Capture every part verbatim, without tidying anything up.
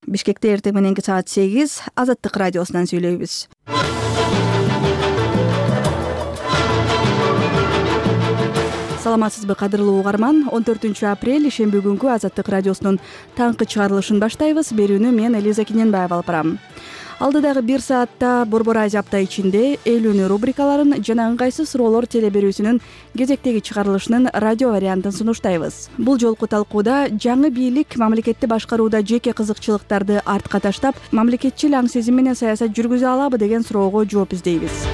Бишкекте эртең мененки саат сегиз Азаттык радиосунан сүйлөйбүз. Саламатсызбы кадырлуу угарман? он төртүнчү апрель ишемби күнгү Азаттык радиосунун таңкы чыгарылышын баштайбыз. Берүүнү мен Элиза Киненбаева алып барам. Алдыдагы бир саатта Борбор Азия апта ичинде элүүнү рубрикаларын жана ыңгайсыз суроолор теле берүүсүнүн кезектеги чыгарылышынын радио вариантын сунуштайбыз. Бул жолку талкууда жаңы бийлик мамлекетти башкарууда жеке кызыкчылыктарды артка таштап, мамлекетчил аң сезим менен саясат жүргүзө алабы деген суроого жооп издейбиз.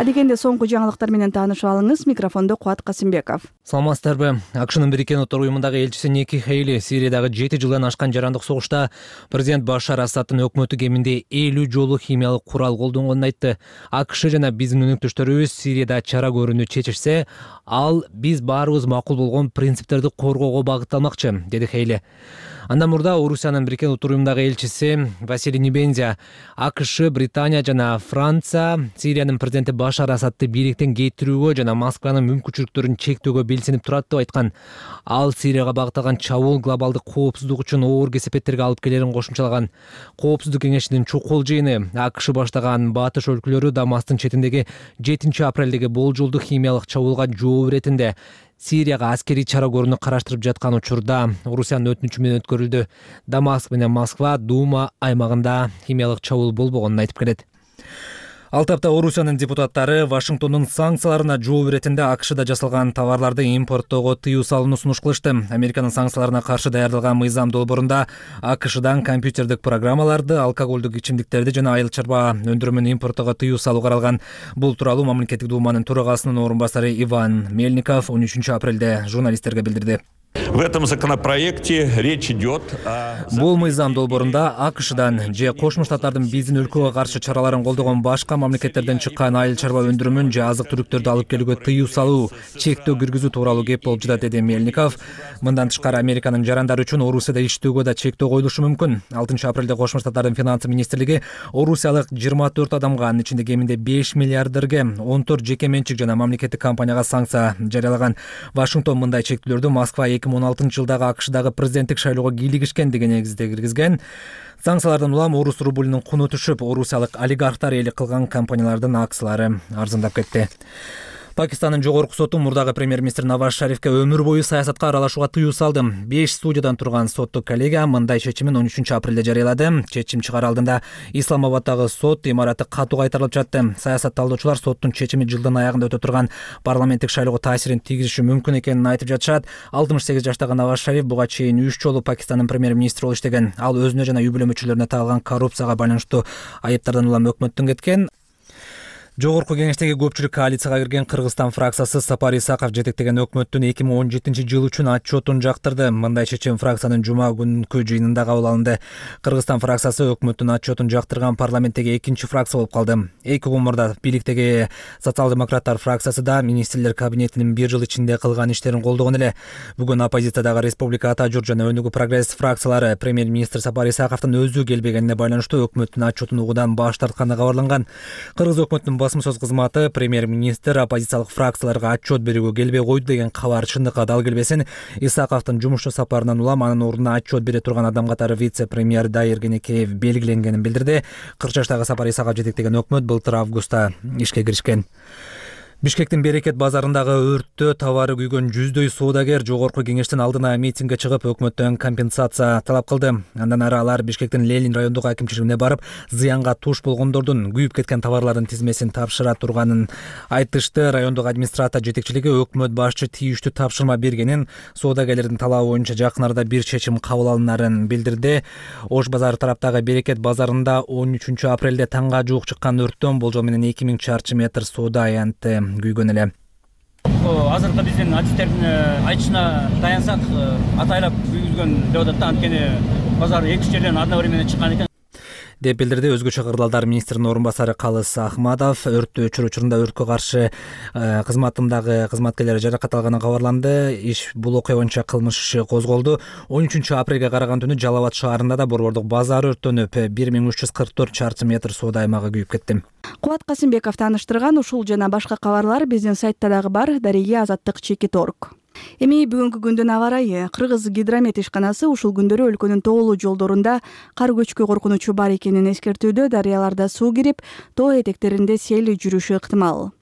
Адегенде соңку жаңылыктар менен таанышып алыңыз. Микрофондо Кубат Касымбеков. Саламатсыздарбы? АКШнын Бириккен Улуттар уюмундагы элчиси Ники Хейли Сириядагы жети жылдан ашкан жарандык согушта президент Башар Асадтын өкмөтү кеминде элүү жолу химиялык курал колдонгонун айтты. АКШ жана биздин өнөктөштөрүбүз Сирияда чара көрүүнү чечишсе, ал биз баарыбыз макул болгон принциптерди коргоого багытталмакчы, деди Хейли. Андан мурда Орусиянын Бириккен Улуттар уюмундагы элчиси Василий Небензя АКШ, Британия жана Франция Сириянын президенти Башар Асадты бийликтен кетирүүгө жана Москванын мүмкүнчүлүктөрүн чектөөгө белсенип турат деп айткан. Ал Сирияга багытталган чабуул глобалдык коопсуздук үчүн оор кесепеттерге алып келерин кошумчалаган. Коопсуздук кеңешинин чукул жыйыны АКШ баштаган батыш өлкөлөрү Дамастын четиндеги жетинчи апрелдеги болжолдуу химиялык чабуулга жооп иретинде Сирияга аскерий чара көрүүнү караштырып жаткан учурда Орусиянын өтүнүчү менен өткөрүлдү. Дамаск менен Москва Дума аймагында химиялык чабуул болбогонун айтып келет. Ал тапта Орусиянын депутаттары Вашингтондун санкцияларына жооп иретинде АКШда жасалган товарларды импорттоого тыюу салууну сунуш кылышты. Американын санкцияларына каршы даярдалган мыйзам долбоорунда АКШдан компьютердик программаларды, алкоголдук ичимдиктерди жана айыл чарба өндүрүмүн импорттоого тыюу салуу каралган. Бул тууралуу мамлекеттик думанын төрагасынын орун басары Иван Мельников он үчүнчү апрелде журналисттерге билдирди. В этом законопроекте речь идет о... Бул мыйзам долбоорунда АКШдан же Кошмо Штаттардын биздин өлкөгө каршы чараларын колдогон башка мамлекеттерден чыккан айыл чарба өндүрүмүн же азык-түлүктөрдү алып келүүгө тыюу салуу, чектөө киргизүү тууралуу кеп болуп жатат, деди Мельников. Мындан тышкары Американын жарандары үчүн Орусияда иштөөгө да чектөө коюлушу мүмкүн. алтынчы апрелде Кошмо Штаттардын финансы министрлиги орусиялык жыйырма төрт адамга, анын ичинде кеминде беш миллиардерге, он төрт жеке менчик жана мамлекеттик компанияга санкция жарыялаган. Вашингтон мындай чектөөлөрдү Москва эки миң он алтынчы жылдагы АКШдагы президенттик шайлоого кийлигишкен деген негизде киргизген. Санкциялардан улам орус рублунун куну түшүп, орусиялык олигархтар ээлик кылган компаниялардын акциялары арзандап кетти. Пакистандын жогорку соту мурдагы премьер-министр Наваз Шарифке өмүр бою саясатка аралашууга тыюу салды. беш судьядан турган соттук коллегия мындай чечимин он үчүнчү апрелде жарыялады. Чечим чыгар алдында Исламабаддагы сот имараты катуу кайтарылып жатты. Саясат талдоочулар соттун чечими жылдын аягында өтө турган парламенттик шайлоого таасирин тийгизиши мүмкүн экенин айтып жатышат. алтымыш сегиз жаштагы Наваз Шариф буга чейин үч жолу Пакистандын премьер-министри болуп иштеген. Ал өзүнө жана үй бүлө мүчөлөрүнө тагылган коррупцияга байланыштуу айыптардан улам өкмөттөн кеткен. Жогорку кеңештеги көпчүлүк коалицияга кирген Кыргызстан фракциясы Сапар Исаков жетектеген өкмөттүн эки миң он жетинчи жыл үчүн отчетун жактырды. Мындай чечим фракциянын жума күнкү жыйынында кабыл алынды. Кыргызстан фракциясы өкмөттүн отчетун жактырган парламенттеги экинчи фракция болуп калды. Эки күн мурда бийликтеги социал-демократтар фракциясы да министрлер кабинетинин бир жыл ичинде кылган иштерин колдогон эле. Бүгүн оппозициядагы Республика Ата журт жана Өнүгүү прогресс фракциялары премьер-министр Сапар Исаковдун өзү келбегенине байланыштуу өкмөттүн отчетун угуудан баш тартканы кабарланган. Кыргыз өкмөтүнүн басма сөз кызматы премьер-министр оппозициялык фракцияларга отчет берүүгө келбей койду деген кабар чындыкка дал келбесин. Исаковдун жумушчу сапарынан улам анын ордуна отчет бере турган адам катары вице-премьер Дайыр Кенекеев белгиленгенин билдирди. кырк жаштагы Сапар Исаков жетектеген өкмөт былтыр августта ишке киришкен. Бишкектин Берекет базарындагы өрттө товары күйгөн жүздөй соодагер жогорку кеңештин алдына митингге чыгып, өкмөттөн компенсация талап кылды. Андан ары алар Бишкектин Ленин райондук акимчилигине барып, зыянга туш болгондордун күйүп кеткен товарлардын тизмесин тапшыра турганын айтышты. Райондук администрация жетекчилиги өкмөт башчы тийиштүү тапшырма бергенин, соодагерлердин талабы боюнча жакын арада бир чечим кабыл алынарын билдирди. Ош базары тараптагы Берекет базарында он үчүнчү апрелде таңга жуук чыккан өрттөн болжол менен эки миң чарчы метр соода аянты күйгөн эле. Азыркы биздин артисттердин айтышына таянсак, атайлап күйгүзгөн деп атат. Анткени базар эки үч жерден одновременно чыккан экен деп билдирди. Өзгөчө кырдаалдар министринин орун басары Калыс Ахмадов. Өрттү өчүрүү учурунда өрткө каршы кызматындагы кызматкерлер жаракат алганы кабарланды. Иш бул окуя боюнча кылмыш иши козголду. он үчүнчү апрелге караган түнү Жалал Абад шаарында да борбордук базар өрттөнүп, бир миң үч жүз кырк төрт чарчы метр соода аймагы күйүп кетти. Кубат Касымбеков тааныштырган ушул жана башка кабарлар биздин сайтта дагы бар. Дареги азаттык чекит точка орг. Эми бүгүнкү күндүн аба ырайы. Кыргыз гидромет ишканасы ушул күндөрү өлкөнүн тоолуу жолдорунда кар көчкү коркунучу бар экенин эскертүүдө. Дарыяларда суу кирип, тоо этектеринде сел жүрүшү ыктымал.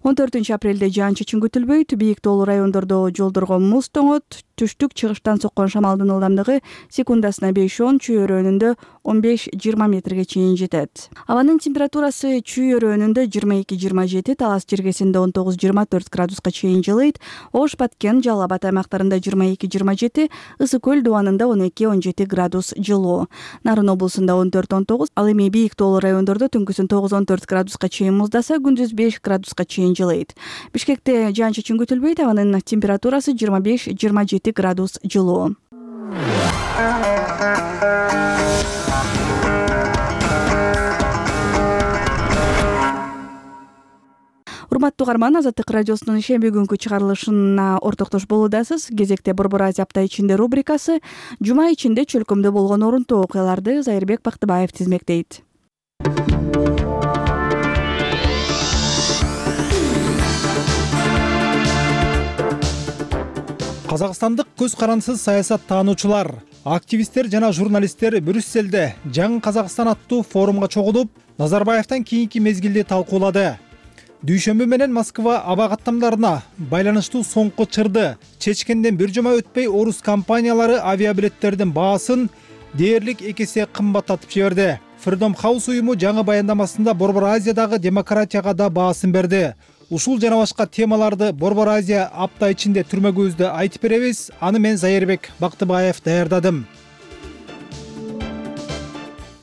он төртүнчү апрелде жаан-чачын күтүлбөйт. Бийик тоолуу райондордо жолдорго муз тоңот. Түштүк чыгыштан соккон шамалдын ылдамдыгы секундасына беш он, чүй өрөөнүндө он беш жыйырма метрге чейин жетет. Абанын температурасы чүй өрөөнүндө жыйырма эки жыйырма жети, Талас жергесинде он тогуз жыйырма төрт градуска чейин жылыйт. Ош, Баткен, Жалал Абад аймактарында жыйырма эки жыйырма жети, Ысык көл дубанында он эки он жети градус жылуу. Нарын облусунда он төрт он тогуз, ал эми бийик тоолуу райондордо түнкүсүн тогуз он төрт градуска чейин муздаса, күндүз беш градуска чейин жылыйт. Бишкекте жаан-чачын күтүлбөйт. Абанын температурасы жыйырма беш жыйырма жети градус жылуу. Урматтуу угарман, Азаттык радиосунун ишемби күнгү чыгарылышына ортоктош болуудасыз. Кезекте Борбор Азия апта ичинде рубрикасы. Жума ичинде чөлкөмдө болгон орунтуу окуяларды Зайырбек Бактыбаев тизмектейт. Казакстандык көз карансыз саясат таануучулар, активисттер жана журналисттер Брюсселде Жаңы Казакстан аттуу форумга чогулуп, Назарбаевден кийинки мезгилди талкуулады. Дүйшөмбү менен Москва аба каттамдарына байланыштуу соңку чырды чечкенден бир жума өтпөй орус компаниялары авиабилеттердин баасын дээрлик эки эсе кымбаттатып жиберди. Freedom House уюму жаңы баяндамасында Борбор Азиядагы демократияга да баасын берди. Ушул жана башка темаларды Борбор Азия апта ичинде түрмөгүбүздө айтып беребиз. Аны мен Зайырбек Бактыбаев даярдадым.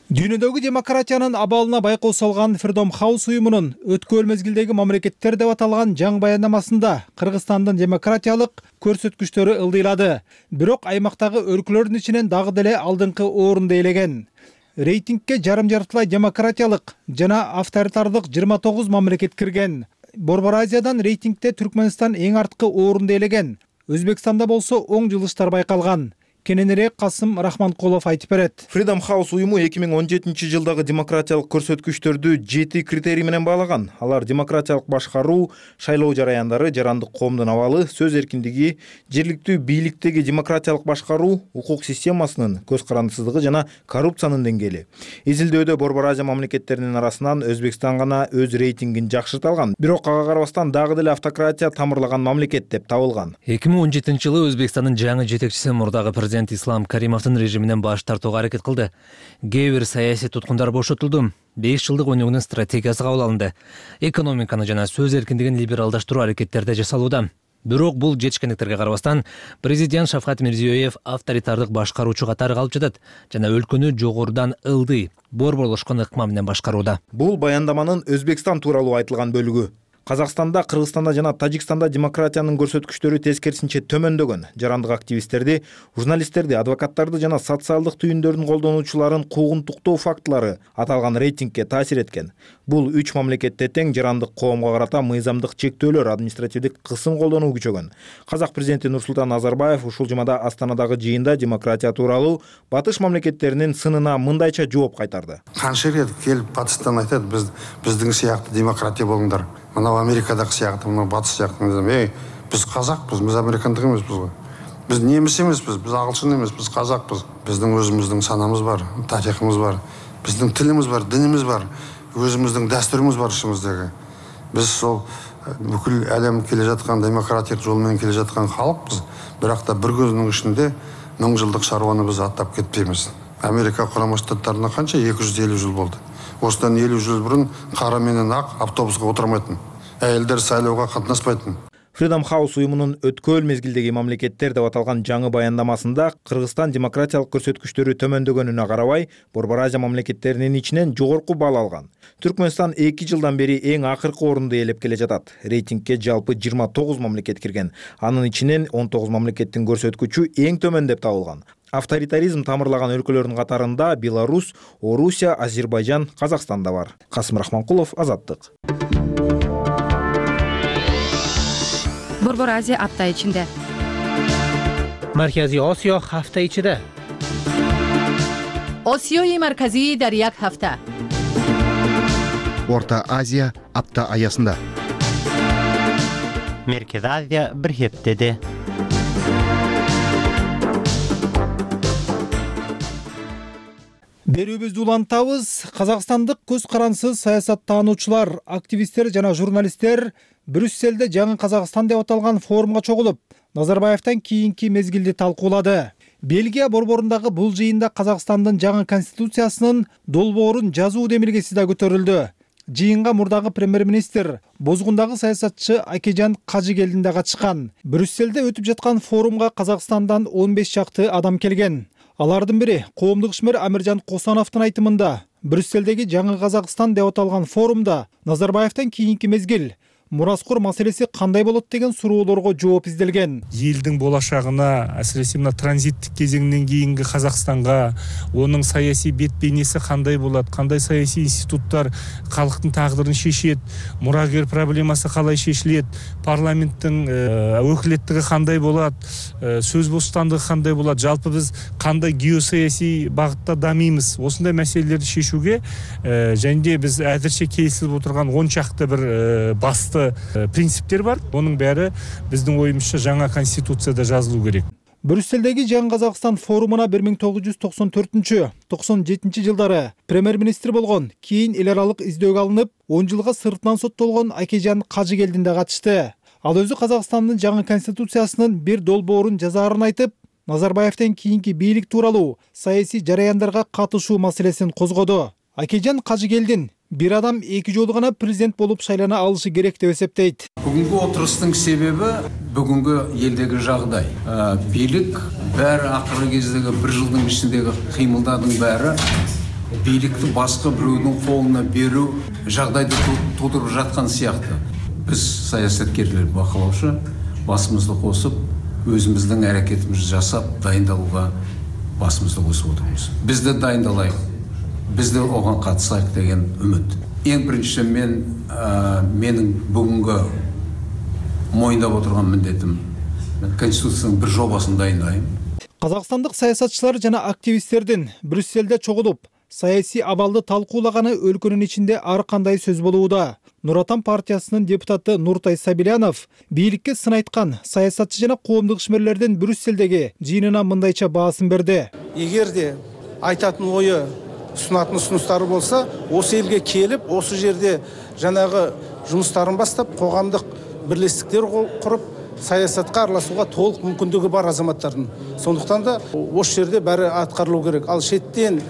Дүйнөдөгү демократиянын абалына байкоо салган Freedom House уюмунун өткөл мезгилдеги мамлекеттер деп аталган жаңы баяндамасында Кыргызстандын демократиялык көрсөткүчтөрү ылдыйлады. Бирок аймактагы өлкөлөрдүн ичинен дагы деле алдыңкы орунду ээлеген. Рейтингке жарым-жартылай демократиялык жана авторитардык жыйырма тогуз мамлекет кирген. Борбор Азиядан рейтингте Түркмөнстан эң арткы орунду ээлеген. Өзбекстанда болсо оң жылыштар байкалган. Кененирээк Касым Рахманкулов айтып берет. Freedom House уюму эки миң он жетинчи жылдагы демократиялык көрсөткүчтөрдү жети критерий менен баалаган. Алар демократиялык башкаруу, шайлоо жараяндары, жарандык коомдун абалы, сөз эркиндиги, жергиликтүү бийликтеги демократиялык башкаруу, укук системасынын көз карандысыздыгы жана коррупциянын деңгээли. Изилдөөдө Борбор Азия мамлекеттеринин арасынан Өзбекстан гана өз рейтингин жакшырта алган. Бирок ага карабастан дагы деле автократия тамырлаган мамлекет деп табылган. эки миң он жетинчи жылы Өзбекстандын жаңы жетекчиси мурдагы президент Ислам Каримовдун режиминен баш тартууга аракет кылды. Кээ бир саясий туткундар бошотулду. беш жылдык өнүгүүнүн стратегиясы кабыл алынды. Экономиканы жана сөз эркиндигин либералдаштыруу аракеттери жасалууда. Бирок бул жетишкендиктерге карабастан президент Шавкат Мирзиёев авторитардык башкаруучу катары калып жатат жана өлкөнү жогорудан ылдый, борборлошкон ыкма менен башкарууда. Бул баяндаманын Өзбекстан тууралуу айтылган бөлүгү. Казакстанда, Кыргызстанда жана Тажикстанда демократиянын көрсөткүчтөрү тескерисинче төмөндөгөн. Жарандык активисттерди, журналисттерди, адвокаттарды жана социалдык түйүндөрдүн колдонуучуларын куугунтуктоо фактылары аталган рейтингке таасир эткен. Бул үч мамлекетте тең жарандык коомго карата мыйзамдык чектөөлөр, административдик кысым колдонуу күчөгөн. Казак президенти Нурсултан Назарбаев ушул жумада Астанадагы жыйында демократия тууралуу батыш мамлекеттеринин сынына мындайча жооп кайтарды. Канча рет келип батыштан айтат, биз биздин сыяктуу демократия болуңдар. Мына Америкадагы сыяктуу, мына батыш сыяктуу. Эй, биз казакпыз, биз американдык эмеспиз го. Биз немис эмеспиз, биз агылшын эмес, биз казакпыз. Биздин өзүбүздүн санамыз бар, тарихыбыз бар, биздин тилибиз бар, динибиз бар, өзүбүздүн дастурубуз бар ишибиздеги. Биз сол бүкүл әлем келе жаткан демократиялык жол менен келе жаткан халыкпыз. Бирок да бир көзүнүн ичинде миң жылдык шаруаны биз аттап кетпейбиз. Америка Курама Штаттарына канча эки жүз элүү жыл болду. Осыдан элүү жыл бурун кара менен ак автобуска отурмайтын. Айылдар сайлоого катнаспайтын. Freedom House уюмунун өткөл мезгилдеги мамлекеттер деп аталган жаңы баяндамасында Кыргызстан демократиялык көрсөткүчтөрү төмөндөгөнүнө карабай, Борбор Азия мамлекеттеринин ичинен жогорку баал алган. Түркмөнстан эки жылдан бери эң акыркы орунду ээлеп келе жатат. Рейтингке жалпы жыйырма тогуз мамлекет кирген. Анын ичинен он тогуз мамлекеттин көрсөткүчү эң төмөн деп табылган. Авторитаризм тамырлаган өлкөлөрдүн катарында Беларусь, Орусия, Азербайжан, Казакстан да бар. Касым Рахманкулов, Азаттык. Борбор Азия апта ичинде. Марказий Осиё ҳафта ичида. Осиёи марказии дар як ҳафта. Орта Азия апта аясында. Меркез Азия бир ҳептеде. Берүүбүздү улантабыз. Казакстандык көз карансыз саясаттануучулар, активисттер жана журналисттер Брюсселде жаңы Казакстан деп аталган форумга чогулуп, Назарбаевтан кийинки мезгилди талкуулады. Бельгия борборундагы бул жыйында Казакстандын жаңы конституциясынын долбоорун жазуу демилгеси да көтөрүлдү. Жыйынга мурдагы премьер-министр, Бозгундагы саясатчы Акежан Кажыгелдин да катышкан. Брюсселде өтүп жаткан форумга Казакстандан он беш чакты адам келген. Алардын бири коомдук ишмер Амиржан Косановдун айтымында, Брюсселдеги жаңы Казакстан деп аталган форумда Назарбаевтан кийинки мезгил мураскор маселеси кандай болот деген суроолорго жооп изделген. Элдин болашагына, асиресе мына транзиттик кезеңден кийинки Казакстанга, онун саясий бет бейнеси кандай болот, кандай саясий институттар калктын тагдырын шешет, мурагер проблемасы калай шешилет, парламенттин өкүлеттиги кандай болот, сөз бостандыгы кандай болот, жалпы биз кандай геосаясий багытта дамыймыз. Осундай маселелерди шешүүгө және де биз азырча келишилип отурган он чакты бир басты принциптер бар. Onun бәрі біздің ойымызша жаңа конституцияда жазылу керек. Брюсселдеги жаңы Казакстан форумуна бир миң тогуз жүз токсон төртүнчү — токсон жетинчи жылдары премьер-министр болгон, кийин эл аралык издөөгө алынып, он жылга сыртынан соттолгон Акежан Кажыгелдин да катышты. Ал өзү Казакстандын жаңы конституциясынын бир долбоорун жазаарын айтып, Назарбаевтен кийинки бийлик тууралуу саясий жараяндарга катышуу маселесин козгоду. Акежан Кажыгелдин бир адам эки жолу гана президент болуп шайлана алышы керек деп эсептейт. Бүгүнкү отурустун себеби бүгүнкү элдеги жагдай. Бийлик баары акыркы кездеги бир жылдын ичиндеги кыймылдардын баары бийликти башка бирөөнүн колуна берүү жагдайды туудуруп жаткан сыяктуу. Биз саясаткерлер бакылоочу басымызды косуп, өзүбүздүн аракетибизди жасап, дайындалууга басымызды косуп отурбуз. Биз да дайындалайык. Biz de oған қатысайық деген үміт. Ең бірінші мен менің бүгінгі мойындап отырған міндетім Конституцияның бір жобасын дайындайым. Қазақстандық саясатчылар жана активисттердин Брюсселде чогулуп, саясий абалды талкуулаганы өлкөнүн ичинде ар кандай сөз болууда. Нур Отан партиясынын депутаты Нуртай Сабилянов бийликке сын айткан саясатчы жана коомдук ишмерлердин Брюсселдеги жыйынына мындайча баасын берди. Эгерде айтатын ою sunатын ұсыныстары болса, осы елге келіп, осы жерде жаңағы жұмыстарын бастап, қоғамдық бірлестіктер құрып, саясатқа араласуға толық мүмкіндігі бар азаматтардың. Сондықтан да осы жерде бәрі атқарылу керек. Ал шеттен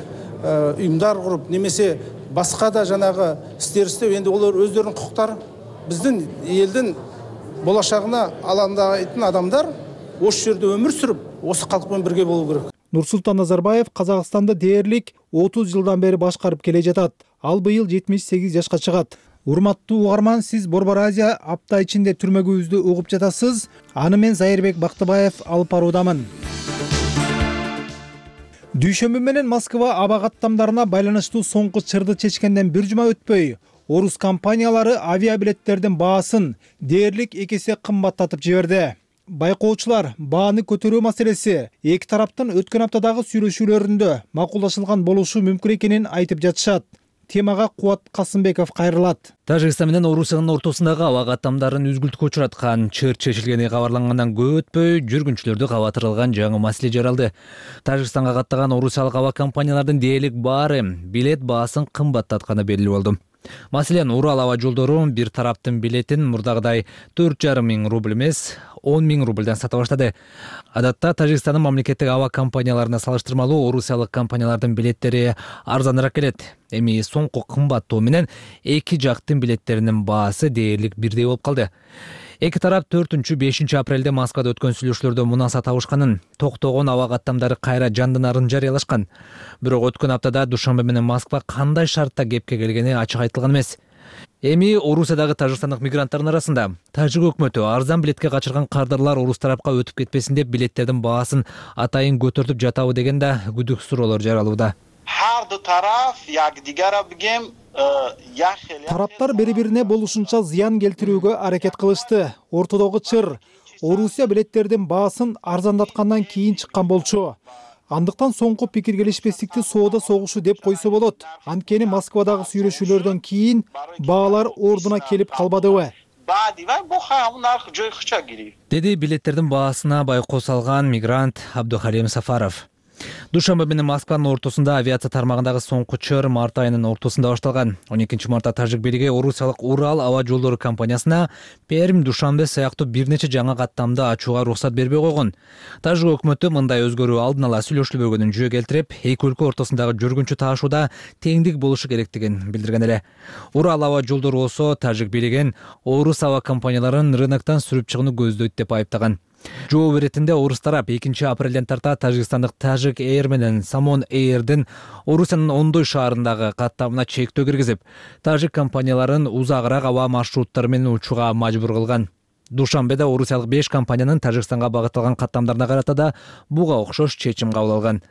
ұйымдар құрып, немесе басқа да жаңағы істер істеу, енді олар өздерінің құқықтары, біздің елдің болашағына алаңдайтын адамдар осы жерде өмір сүріп, осы халықпен бірге болу керек. Нурсултан Назарбаев Казакстанды дээрлик отуз жылдан бери башкарып келе жатат. Ал быйыл жетимиш сегиз жашка чыгат. Урматтуу угарман, сиз Борбор Азия апта ичинде түрмөгүбүздү угуп жатасыз. Аны мен Зайырбек Бактыбаев алып баруудамын. Дүйшөмбү менен Москва аба каттамдарына байланыштуу соңку чырды чечкенден бир жума өтпөй, орус компаниялары авиабилеттердин баасын дээрлик эки эсе кымбаттатып жиберди. Байкоочулар бааны көтөрүү маселеси эки тараптын өткөн аптадагы сүйлөшүүлөрүндө макулдашылган болушу мүмкүн экенин айтып жатышат. Темага Кубат Касымбеков кайрылат. Тажикстан менен Орусиянын ортосундагы аба каттамдарын үзгүлтүккө учураткан чыр чечилгени кабарлангандан көп өтпөй жүргүнчүлөрдү кабатырылган жаңы маселе жаралды. Тажикстанга каттаган орусиялык аба компаниялардын дээрлик баары билет баасын кымбаттатканы белгилүү болду. Маселен, Урал аба жолдору бир тараптын билетин мурдагыдай төрт жарым миң рубль эмес, он миң рубльдан сата баштады. Адатта Тажикстандын мамлекеттик аба компанияларына салыштырмалуу орусиялык компаниялардын билеттери арзаныраак келет. Эми соңку кымбаттоо менен эки жактын билеттеринин баасы дээрлик бирдей болуп калды. Эки тарап төртүнчү — бешинчи апрелде Москвада өткөн сүйлөшүүлөрдө мунаса табышканын, токтогон аба каттамдары кайра жандынарын жарыялашкан. Бирок өткөн аптада Душанбе менен Москва кандай шартта кепке келгени ачык айтылган эмес. Эми Орусиядагы тажикстандык мигранттардын арасында тажик өкмөтү арзан билетке качырган кардарлар орус тарапка өтүп кетпесин деп билеттердин баасын атайын көтөртүп жатабы деген да күдүк суроолор жаралууда. Тараптар бири-бирине болушунча зыян келтирүүгө аракет кылышты. Ортодогу чыр Орусия билеттердин баасын арзандаткандан кийин чыккан болчу. Андыктан соңку пикир келишпестикти соода согушу деп койсо болот. Анткени Москвадагы сүйлөшүүлөрдөн кийин баалар ордуна келип калбадыбы? Деди билеттердин баасына байкоо салган мигрант Абдухалим Сафаров. Душанбе менен Москванын ортосунда авиация тармагындагы соңку чыр март айынын ортосунда башталган. он экинчи мартта тажик бийлиги орусиялык Урал аба жолдору компаниясына Пермь, Душанбе сыяктуу бир нече жаңа каттамды ачууга уруксат бербей койгон. Тажик өкмөтү мындай өзгөрүү алдын ала сүйлөшүлбөгөнүн жөө келтирип, эки өлкө ортосундагы жүргүнчү таашууда теңдик болушу керектигин билдирген эле. Урал аба жолдору болсо тажик бийлигин орус аба компанияларын рыноктон сүрүп чыгууну көздөйт деп айыптаган. Жооп иретинде орус тарап экинчи апрелден тарта Тажикстандык Tajik Air менен Samon Air'дин Орусиянын Ондой шаарындагы каттамына чектөө киргизип, тажик компанияларын узагыраак аба маршруттары менен учууга мажбур кылган. Душанбеде орусиялык беш компаниянын Тажикстанга багытталган каттамдарына карата да буга окшош чечим кабыл алган.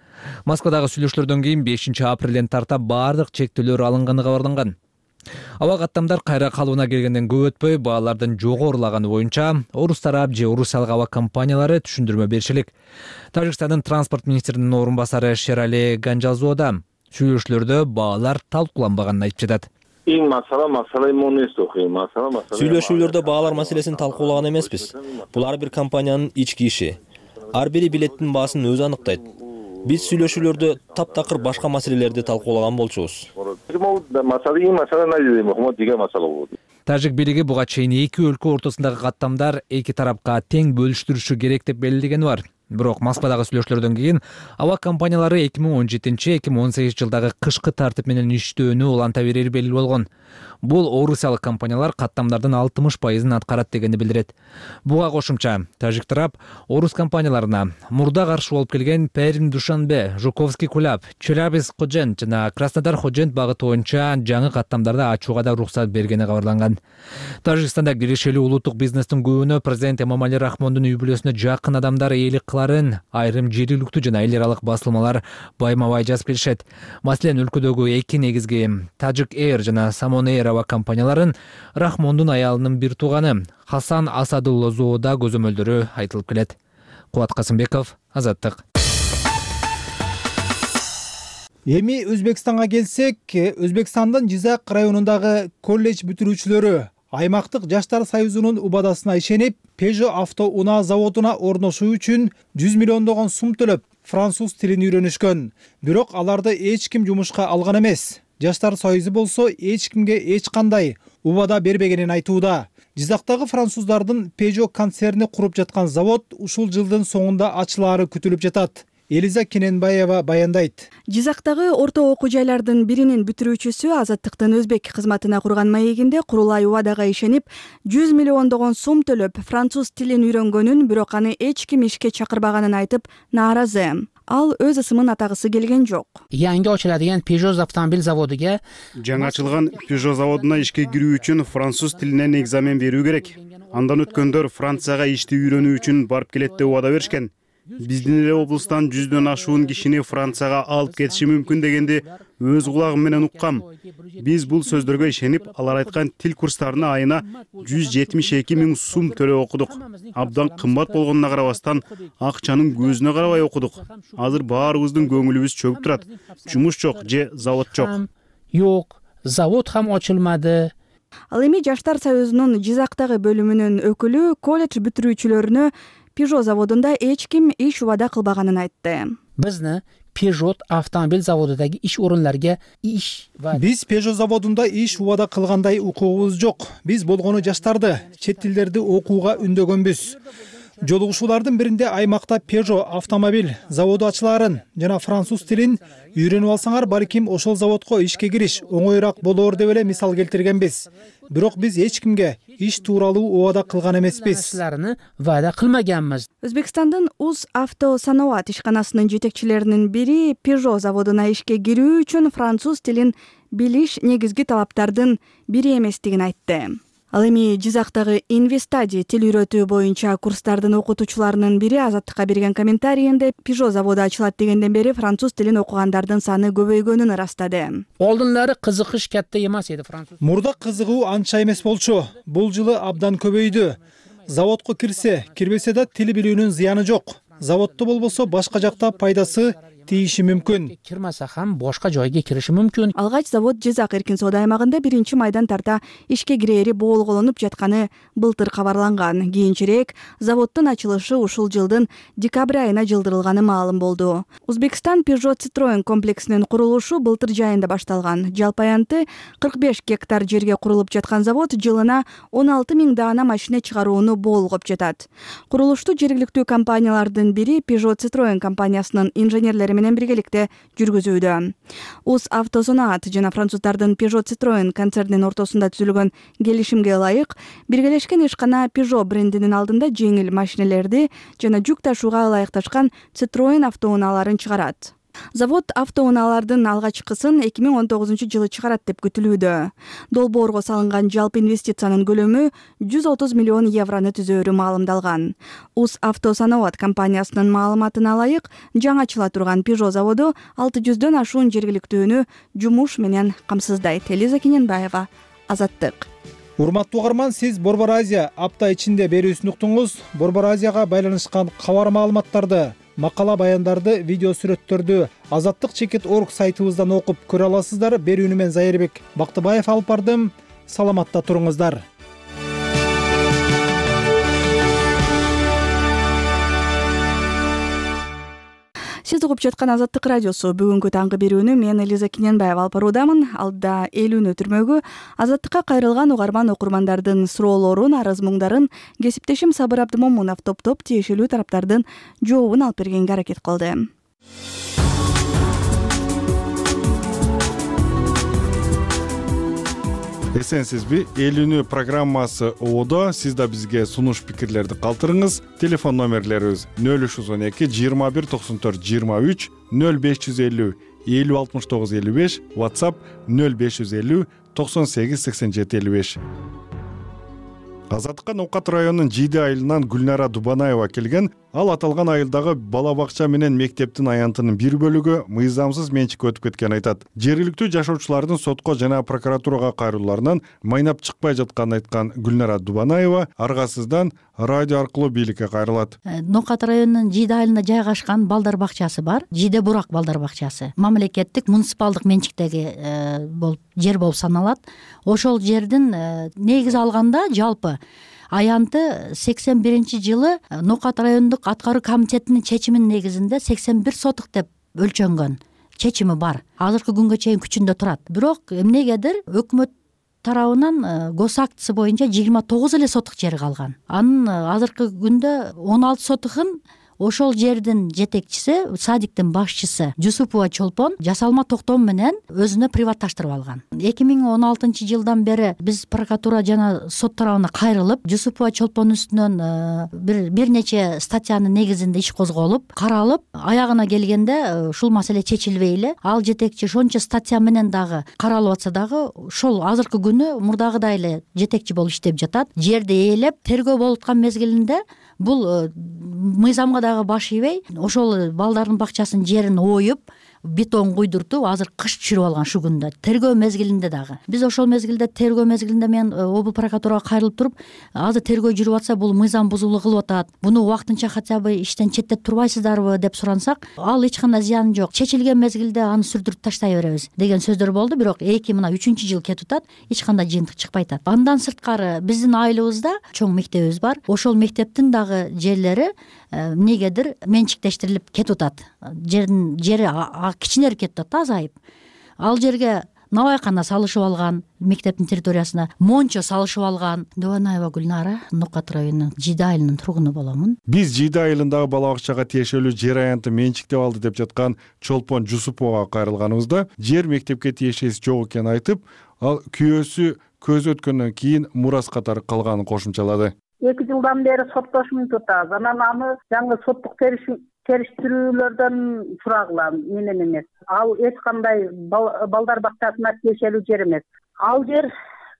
Москвадагы сүйлөшүүлөрдөн кийин бешинчи апрелден тарта баардык чектөөлөр алынганы кабарланган. Аба каттамдар кайра калыбына келгенден көп өтпөй баалардын жогорулаганы боюнча орус тарап же орусиялык аба компаниялары түшүндүрмө беришилик. Тажикстандын транспорт министринин орун басары Шерали Ганжазуо да сүйлөшүүлөрдө баалар талкууланбаганын айтып жатат. Сүйлөшүүлөрдө баалар маселесин талкуулаган эмеспиз. Бул ар бир компаниянын ички иши. Ар бири билеттин баасын өзү аныктайт. Биз сүйлөшүүлөрдө таптакыр башка маселелерди талкуулаган болчубуз. Тажик бийлиги буга чейин эки өлкө ортосундагы каттамдар эки тарапка тең бөлүштүрүшү керек деп белгилегени бар. Бирок Москвадагы сүйлөшүүлөрдөн кийин аба компаниялары эки миң он жетинчи эки миң он сегизинчи жылдагы кышкы тартип менен иштөөнү уланта берери белгилүү болгон. Бул орусиялык компаниялар каттамдардын алтымыш пайызын аткарат дегенди билдирет. Буга кошумча тажик тарап орус компанияларына мурда каршы болуп келген Пермь, Душанбе, Жуковский Кулап, Челябинск Ходжент жана Краснодар Ходжент багыты боюнча жаңы каттамдарды ачууга да уруксат бергени кабарланган. Тажикстанда киришелүү улуттук бизнестин көбүнө президент Эмомали Рахмондун үй бүлөсүнө жакын адамдар ээлик кыларын айрым жергиликтүү жана эл аралык басылмалар байма-бай жазып келишет. Маселен, өлкөдөгү эки негизги Tajik Air жана Samon Air аба компанияларын Рахмондун аялынын бир тууганы Хасан Асадуллозоодо көзөмөлдөрү айтылып келет. Кубат Касымбеков, Азаттык. Эми Өзбекстанга келсек, Өзбекстандын Жизак районундагы колледж бүтүрүүчүлөрү аймактык жаштар союзунун убадасына ишенип, Peugeot авто унаа заводуна орношуу үчүн жүз миллиондогон сум төлөп, француз тилин үйрөнүшкөн. Бирок аларды эч ким жумушка алган эмес. Жаштар союзу болсо эч кимге эч кандай убада бербегенин айтууда. Жизактагы француздардын Peugeot концерни куруп жаткан завод ушул жылдын соңунда ачылаары күтүлүп жатат. Элиза Кененбаева баяндайт. Жизактагы орто окуу жайлардын биринин бүтүрүүчүсү Азаттыктын өзбек кызматына курган маегинде курулай убадага ишенип, жүз миллиондогон сум төлөп, француз тилин үйрөнгөнүн, бирок аны эч ким ишке чакырбаганын айтып, нааразы. Ал өз ысымын атагысы келген жок. Yangi ochiladigan Peugeot avtomobil zavodiga жаңы ачылган Peugeot заводуна ишке кирүү үчүн француз тилинен экзамен берүү керек. Андан өткөндөр Францияга ишти үйрөнүү үчүн барып келет деп убада беришкен. Биздин эле облустан жүздөн ашуун кишини Францияга алып кетиши мүмкүн дегенди өз кулагым менен уккам. Биз бул сөздөргө ишенип, алар айткан тил курстарына айына жүз жетимиш эки миң сум төлөп окудук. Абдан кымбат болгонуна карабастан, акчанын көзүнө карабай окудук. Азыр баарыбыздын көңүлүбүз чөгүп турат. Жумуш жок же завод жок. Жок, завод ham ochilmadi. Ал эми Жаштар союзунун Жизактагы бөлүмүнүн өкүлү колледж бүтүрүүчүлөрүнө Peugeot заводунда эч ким иш убада кылбаганын айтты. Bizni Peugeot avtomobil zavodidagi ish o'rinlariga ish va Биз Peugeot заводунда иш убада кылгандай укугубуз жок. Биз болгону жаштарды чет тилдерди окууга үндөгөнбүз. Жолугушуулардын биринде аймакта Peugeot автомобиль заводу ачылаарын жана француз тилин үйрөнүп алсаңар, балким ошол заводко ишке кириш оңоюраак болоор деп эле мисал келтиргенбиз. Бирок биз эч кимге иш тууралуу убада кылган эмеспиз. Вада кылмаганбыз. Өзбекстандын Уз авто санаат ишканасынын жетекчилеринин бири Peugeot заводуна ишке кирүү үчүн француз тилин билиш негизги талаптардын бири эместигин айтты. Ал эми Жизактагы Инвестади тил үйрөтүү боюнча курстардын окутуучуларынын бири Азаттыкка берген комментарийинде Peugeot заводу ачылат дегенден бери француз тилин окугандардын саны көбөйгөнүн ырастады. Олдунлары кызыгыш катта эмес эди француз. Мурда кызыгуу анча эмес болчу. Бул жылы абдан көбөйдү. Заводко кирсе, кирбесе да тил билүүнүн зыяны жок. Заводто болбосо башка жакта пайдасы тийиши мүмкүн. Кирмаса ham башка жойго кириши мүмкүн. Алгач завод Жизак эркин соода аймагында биринчи майдан тарта ишке кирери боолголонуп жатканы былтыр кабарланган. Кийинчерээк заводдун ачылышы ушул жылдын декабрь айына жылдырылганы маалым болду. Узбекстан Peugeot Citroen комплексинин курулушу былтыр жайында башталган. Жалпы аянты кырк беш гектар жерге курулуп жаткан завод жылына он алты миң даана машина чыгарууну боолгоп жатат. Курулушту жергиликтүү компаниялардын бири Peugeot Citroen компаниясынын инженерлери менен биргеликте жүргүзүүдө. Уз Автосонаат жана француздардын Peugeot Citroen концернинин ортосунда түзүлгөн келишимге ылайык, биргелешкен ишкана Peugeot брендинин алдында жеңил машинелерди жана жүк ташууга ылайыкташкан Citroen автоунааларын чыгарат. Завод автоунаалардын алгачкысын эки миң он тогузунчу жылы чыгарат деп күтүлүүдө. Долбоорго салынган жалпы инвестициянын көлөмү жүз отуз миллион еврону түзөөрү маалымдалган. Уз Автосонаат компаниясынын маалыматына ылайык, жаңы ачыла турган Peugeot заводу алты жүздөн ашуун жергиликтүүнү жумуш менен камсыздайт. Элиза Кененбаева, Азаттык. Урматтуу угарман, сиз Борбор Азия апта ичинде берүүсүн уктуңуз. Борбор Азияга байланышкан кабар маалыматтарды, макала баяндарды, видео сүрөттөрдү азаттык чекит точка орг сайтыбыздан окуп көрө аласыздар. Берүүнү мен Зайырбек Бактыбаев алып бардым. Саламатта туруңуздар. Сиз угуп жаткан Азаттык радиосу. Бүгүнкү таңкы берүүнү мен Элиза Кененбаева алып баруудамын. Алда элүүнү өтүрмөгү Азаттыкка кайрылган угарман окурмандардын суроолорун, арыз муңдарын кесиптешим Сабыр Абдымомунов топтоп тиешелүү тараптардын жообун алып бергенге аракет кылды. Эсенсизби? Элүүнү программасы оодо. Сиз да бизге сунуш пикирлерди калтырыңыз. Телефон номерлерибиз нөл үч жүз он эки жыйырма бир токсон төрт жыйырма үч, нөл беш жүз элүү элүү алтымыш тогуз элүү беш, WhatsApp нөл беш жүз элүү токсон сегиз сексен жети элүү беш. Азаттыкка Ноокат районунун Жийде айылынан Гүлнара Дубанаева келген. Ал аталган айылдагы бала бакча менен мектептин аянтынын бир бөлүгү мыйзамсыз менчикке өтүп кеткенин айтат. Жергиликтүү жашоочулардын сотко жана прокуратурага кайрылууларынан майнап чыкпай жатканын айткан Гүлнара Дубанаева аргасыздан радио аркылуу бийликке кайрылат. Ноокат районунун Жийде айылында жайгашкан балдар бакчасы бар. Жийде Бурак балдар бакчасы. Мамлекеттик муниципалдык менчиктеги болуп жер болуп саналат. Ошол жердин негизи алганда жалпы аянты сексен биринчи жылы Ноокат райондук аткаруу комитетинин чечиминин негизинде сексен бир сотук деп өлчөнгөн чечими бар. Азыркы күнгө чейин күчүндө турат. Бирок эмнегедир өкмөт тарабынан гос актысы боюнча жыйырма тогуз эле сотук жер калган. Анын азыркы күндө он алты сотугун ошол жердин жетекчиси, садиктин башчысы Жусупова Чолпон жасалма токтом менен өзүнө приватташтырып алган. эки миң он алтынчы жылдан бери биз прокуратура жана сот тарабына кайрылып, Жусупова Чолпон үстүнөн бир бир нече статьянын негизинде иш козголуп, каралып, аягына келгенде ушул маселе чечилбей эле. Ал жетекчи ошончо статья менен дагы каралып атса дагы ошол азыркы күнү мурдагыдай эле жетекчи болуп иштеп жатат. Жерди ээлеп, тергөө болуп аткан мезгилинде бул мыйзамга дагы баш ийбей, ошол балдардын бакчасынын жерин оюп, бетон куйдуртуп, азыр кыш түшүрүп алган шу күндө. Тергөө мезгилинде дагы. Биз ошол мезгилде тергөө мезгилинде мен облус прокуратурага кайрылып туруп, азыр тергөө жүрүп атса, бул мыйзам бузуулук кылып атат. Буну убактынча хотя бы иштен четтетип турбайсыздарбы деп сурансак, ал эч кандай зыяны жок. Чечилген мезгилде аны сүрдүрүп таштай беребиз деген сөздөр болду. Бирок эки мына үчүнчү жыл кетип атат, эч кандай жыйынтык чыкпай атат. Андан сырткары биздин айылыбызда чоң мектебибиз бар. Ошол мектептин дагы жерлери эмнегедир менчиктештирилип кетип атат. Жердин жери кичинерип кетип атат, азайып. Ал жерге набайкана салышып алган, мектептин территориясына мончо салышып алган. Дубанаева Гүлнара, Ноокат районунун Жийде айылынын тургуну боламын. Биз Жийде айылындагы бала бакчага тиешелүү жер аянты менчиктеп алды деп жаткан Чолпон Жусуповага кайрылганыбызда, жер мектепке тиешеси жок экенин айтып, ал күйөөсү көз өткөндөн кийин мурас катары калганын кошумчалады. эки жылдан бери соттошумун tutабыз. Анан аны жаңы соттук териштирүүлөрдөн сурагыла менен эмес. Ал эч кандай балдар бакчасына тиешелүү жер эмес. Ал жер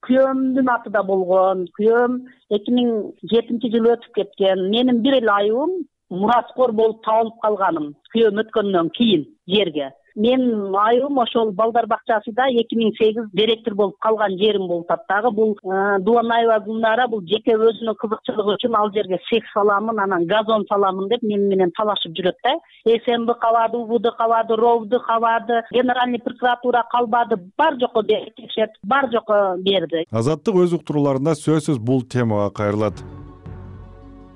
күйөөмдүн атында болгон. Күйөөм эки миң жетинчи жылы өтүп кеткен. Менин бир эле айыбым мураскор болуп табылып калганым. Күйөөм өткөндөн кийин жерге. Менин айылым ошол балдар бакчасында эки миң сегиз директор болуп калган жерим болуп атат. Дагы бул Дубанаева Гүлнара бул жеке өзүнүн кызыкчылыгы үчүн ал жерге сех саламын, анан газон саламын деп мени менен талашып жүрөт да. СМБ кабады, УБД кабады, РОВД кабады, генеральный прокуратура калбады, бар жокко текшерт, бар жокко берди. Азаттык өз уктурууларында сөзсүз бул темага кайрылат.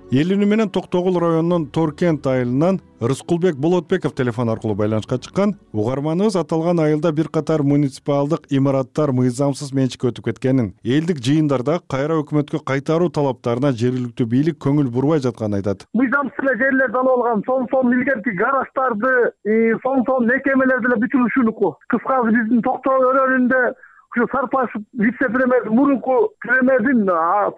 Эл үнү менен Токтогул районунун Торкент айылынан Рыскулбек Болотбеков телефон аркылуу байланышка чыккан. Угарманыбыз аталган айылда бир катар муниципалдык имараттар мыйзамсыз менчикке өтүп кеткенин, элдик жыйындарда кайра өкмөткө кайтаруу талаптарына жергиликтүү бийлик көңүл бурбай жатканын айтат. Мыйзамсыз эле жерлерди алып алган, сон-сон илгерки гараждарды, сон-сон мекемелерди эле бүтүрүшүүнүкү. Кыскасы биздин Токтогул районунда ушу Сарпаш вице-премьер мурунку премьердин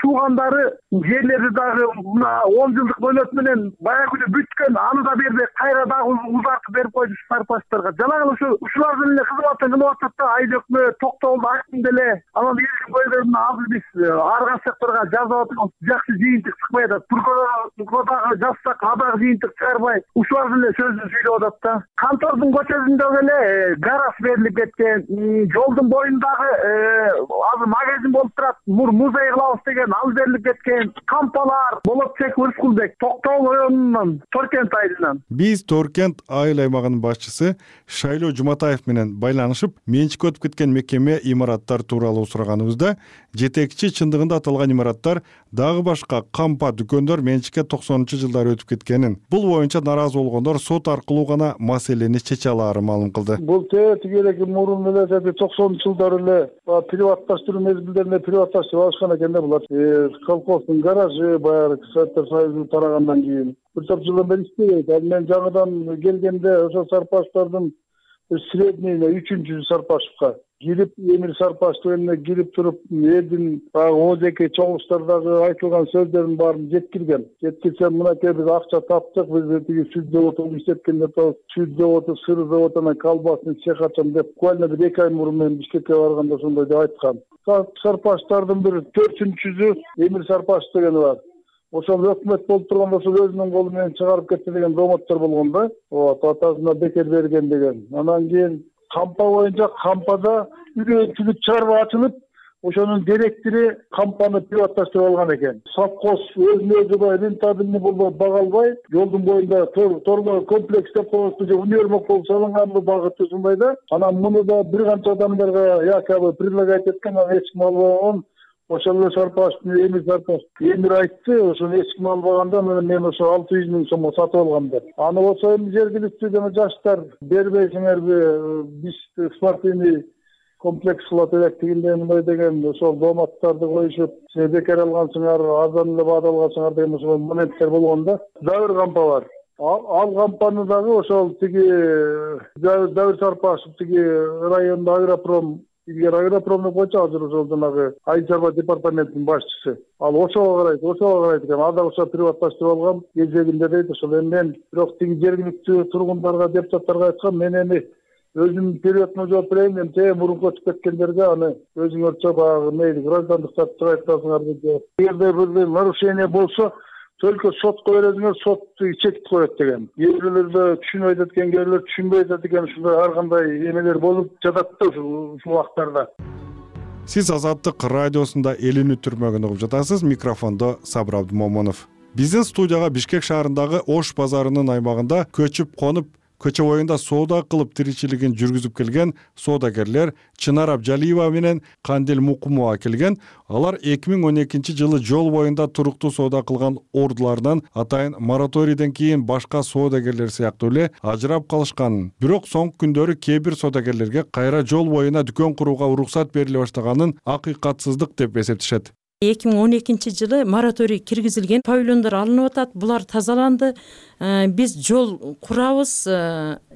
туугандары жерлерди дагы мына он жылдык мөөнөт менен баягы бүткөн, аны да бербей кайра дагы узартып берип койду сарпаштарга. Жанагы ушу ушулардын эле кызматын кылып атат да, айыл өкмөт Токтогулда актин деле анан элдин көйгөйүн азыр биз ар кайсы секторго жазып атабыз, жакшы жыйынтык чыкпай атат. Прокуратурага жазсак адагы жыйынтык чыгарбай, ушулардын эле сөзүн сүйлөп атат да. Кантордун көчөсүндөгү эле гараж берилип кеткен, жолдун боюндагы азыр магазин болуп турат, музей кылабыз деген ал берилип кеткен, кампалар. Болотбеков Рыскулбек, Токтогул районунун Торкент айылынан. Биз Торкент айыл аймагынын башчысы Шайлоо Жуматаев менен байланышып, менчикке өтүп кеткен мекеме имараттар тууралуу сураганыбызда, жетекчи чындыгында аталган имараттар дагы башка кампа дүкөндөр менчикке токсонунчу жылдары өтүп кеткенин, бул боюнча наразы болгондор сот аркылуу гана маселени чече алаарын маалым кылды. Бул тегерек мурун эле токсонунчу жылдары эле приватташтыруу мезгилдеринде приватташтырып алышкан экен да булар. Колхоздун гаражы баягы Советтер Союзу тарагандан кийин бир топ жылдан бери иштебейт. Ал мен жаңыдан келгенде ошо Сарпаштардын средний үчүнчү Сарпашевка кирип, Эмир Сарпаштын önүнө кирип туруп, элдин ожеке чогулуштардагы айтылган сөздөрдүн баарын жеткирген. Жеткирсем мынакей биз акча таптык, биз тиги сүт заводун иштеткенде сүт заводу, сыр заводунан колбасын цех ачам деп, буквально бир эки ай мурун мен Бишкекке барганда ошондой деп айткан. Сарпаштардын бир төртүнчүсү Эмир Сарпаш деген бар. Ошол өкмөт болуп турганда ошол өзүнүн колу менен чыгарып кетти деген домоттор болгон да. Вот, атасына бекер берген деген. Анан кийин кампа боюнча кампада үгүнчүлүк чарба ачылып, ошонун директору кампаны приватташтырып алган экен. Совхоз өзүнө өзү рентабельный болбой, бага албай, жолдун боюнда тормо комплекс деп коюшту, же универмаг болуп салынган багыты ушундай да. Анан муну да бир канча адамдарга якобы предлагать эткен, анан эч ким албаган. Ошол эле Сарпаш, Эмир Сарпаш, Эмир айтты, ошону эч ким албаганда мен ошо алты жүз миң сомго сатып алгам деп. Аны болсо эми жергиликтүү жана жаштар бербейсиңерби, биз спортивный комплекс кылат элек дегенде мындай деген ошол доматтарды коюшуп, сиз бекер алгансыңар, арзан эле баада алгансыңар деген ошол моменттер болгон да. Дагы бир кампа бар. Ал кампаны дагы ошол тиги Давир Сарпашев тиги райондо Агропром Игер Агропром деп койчу, азыр ошол жанагы айыл чарба департаментинин башчысы. Ал ошого карайт, ошого карайт экен. Ада ошо приватташтырып алгам кезегинде дейт. Ошол эми мен бирок тиги жергиликтүү тургундарга, депутаттарга айткам, мен эми өзүм периодуна жооп берейин, эми те мурунку өтүп кеткендерге аны өзүңөрчө баягы мейли граждандык тартып айткансыңар деп. Эгерде бир нарушение болсо, только сотко бересиңер, сот чекит коет деген. Кээ бирлерде түшүнбөй атат экен, кээ бирлер түшүнбөй атат экен, ушундай ар кандай эмелер болуп жатат да ушул убактарда. Сиз Азаттык радиосунда эл үнү түрмөгүн угуп жатасыз. Микрофондо Сабыр Абдымомунов. Биздин студияга Бишкек шаарындагы Ош базарынын аймагында көчүп конуп, көчө боюнда соода кылып тиричилигин жүргүзүп келген соодагерлер Чынар Абжалиева менен Кандил Мукумова келген. Алар эки миң он экинчи жылы жол боюнда туруктуу соода кылган ордуларынан атайын мораторийден кийин башка соодагерлер сыяктуу эле ажырап калышканын, бирок соңку күндөрү кээ бир соодагерлерге кайра жол боюна дүкөн курууга уруксат бериле баштаганын акыйкатсыздык деп эсептешет. эки миң он экинчи жылы мораторий киргизилген, павильондор алынып атат, булар тазаланды, биз жол курабыз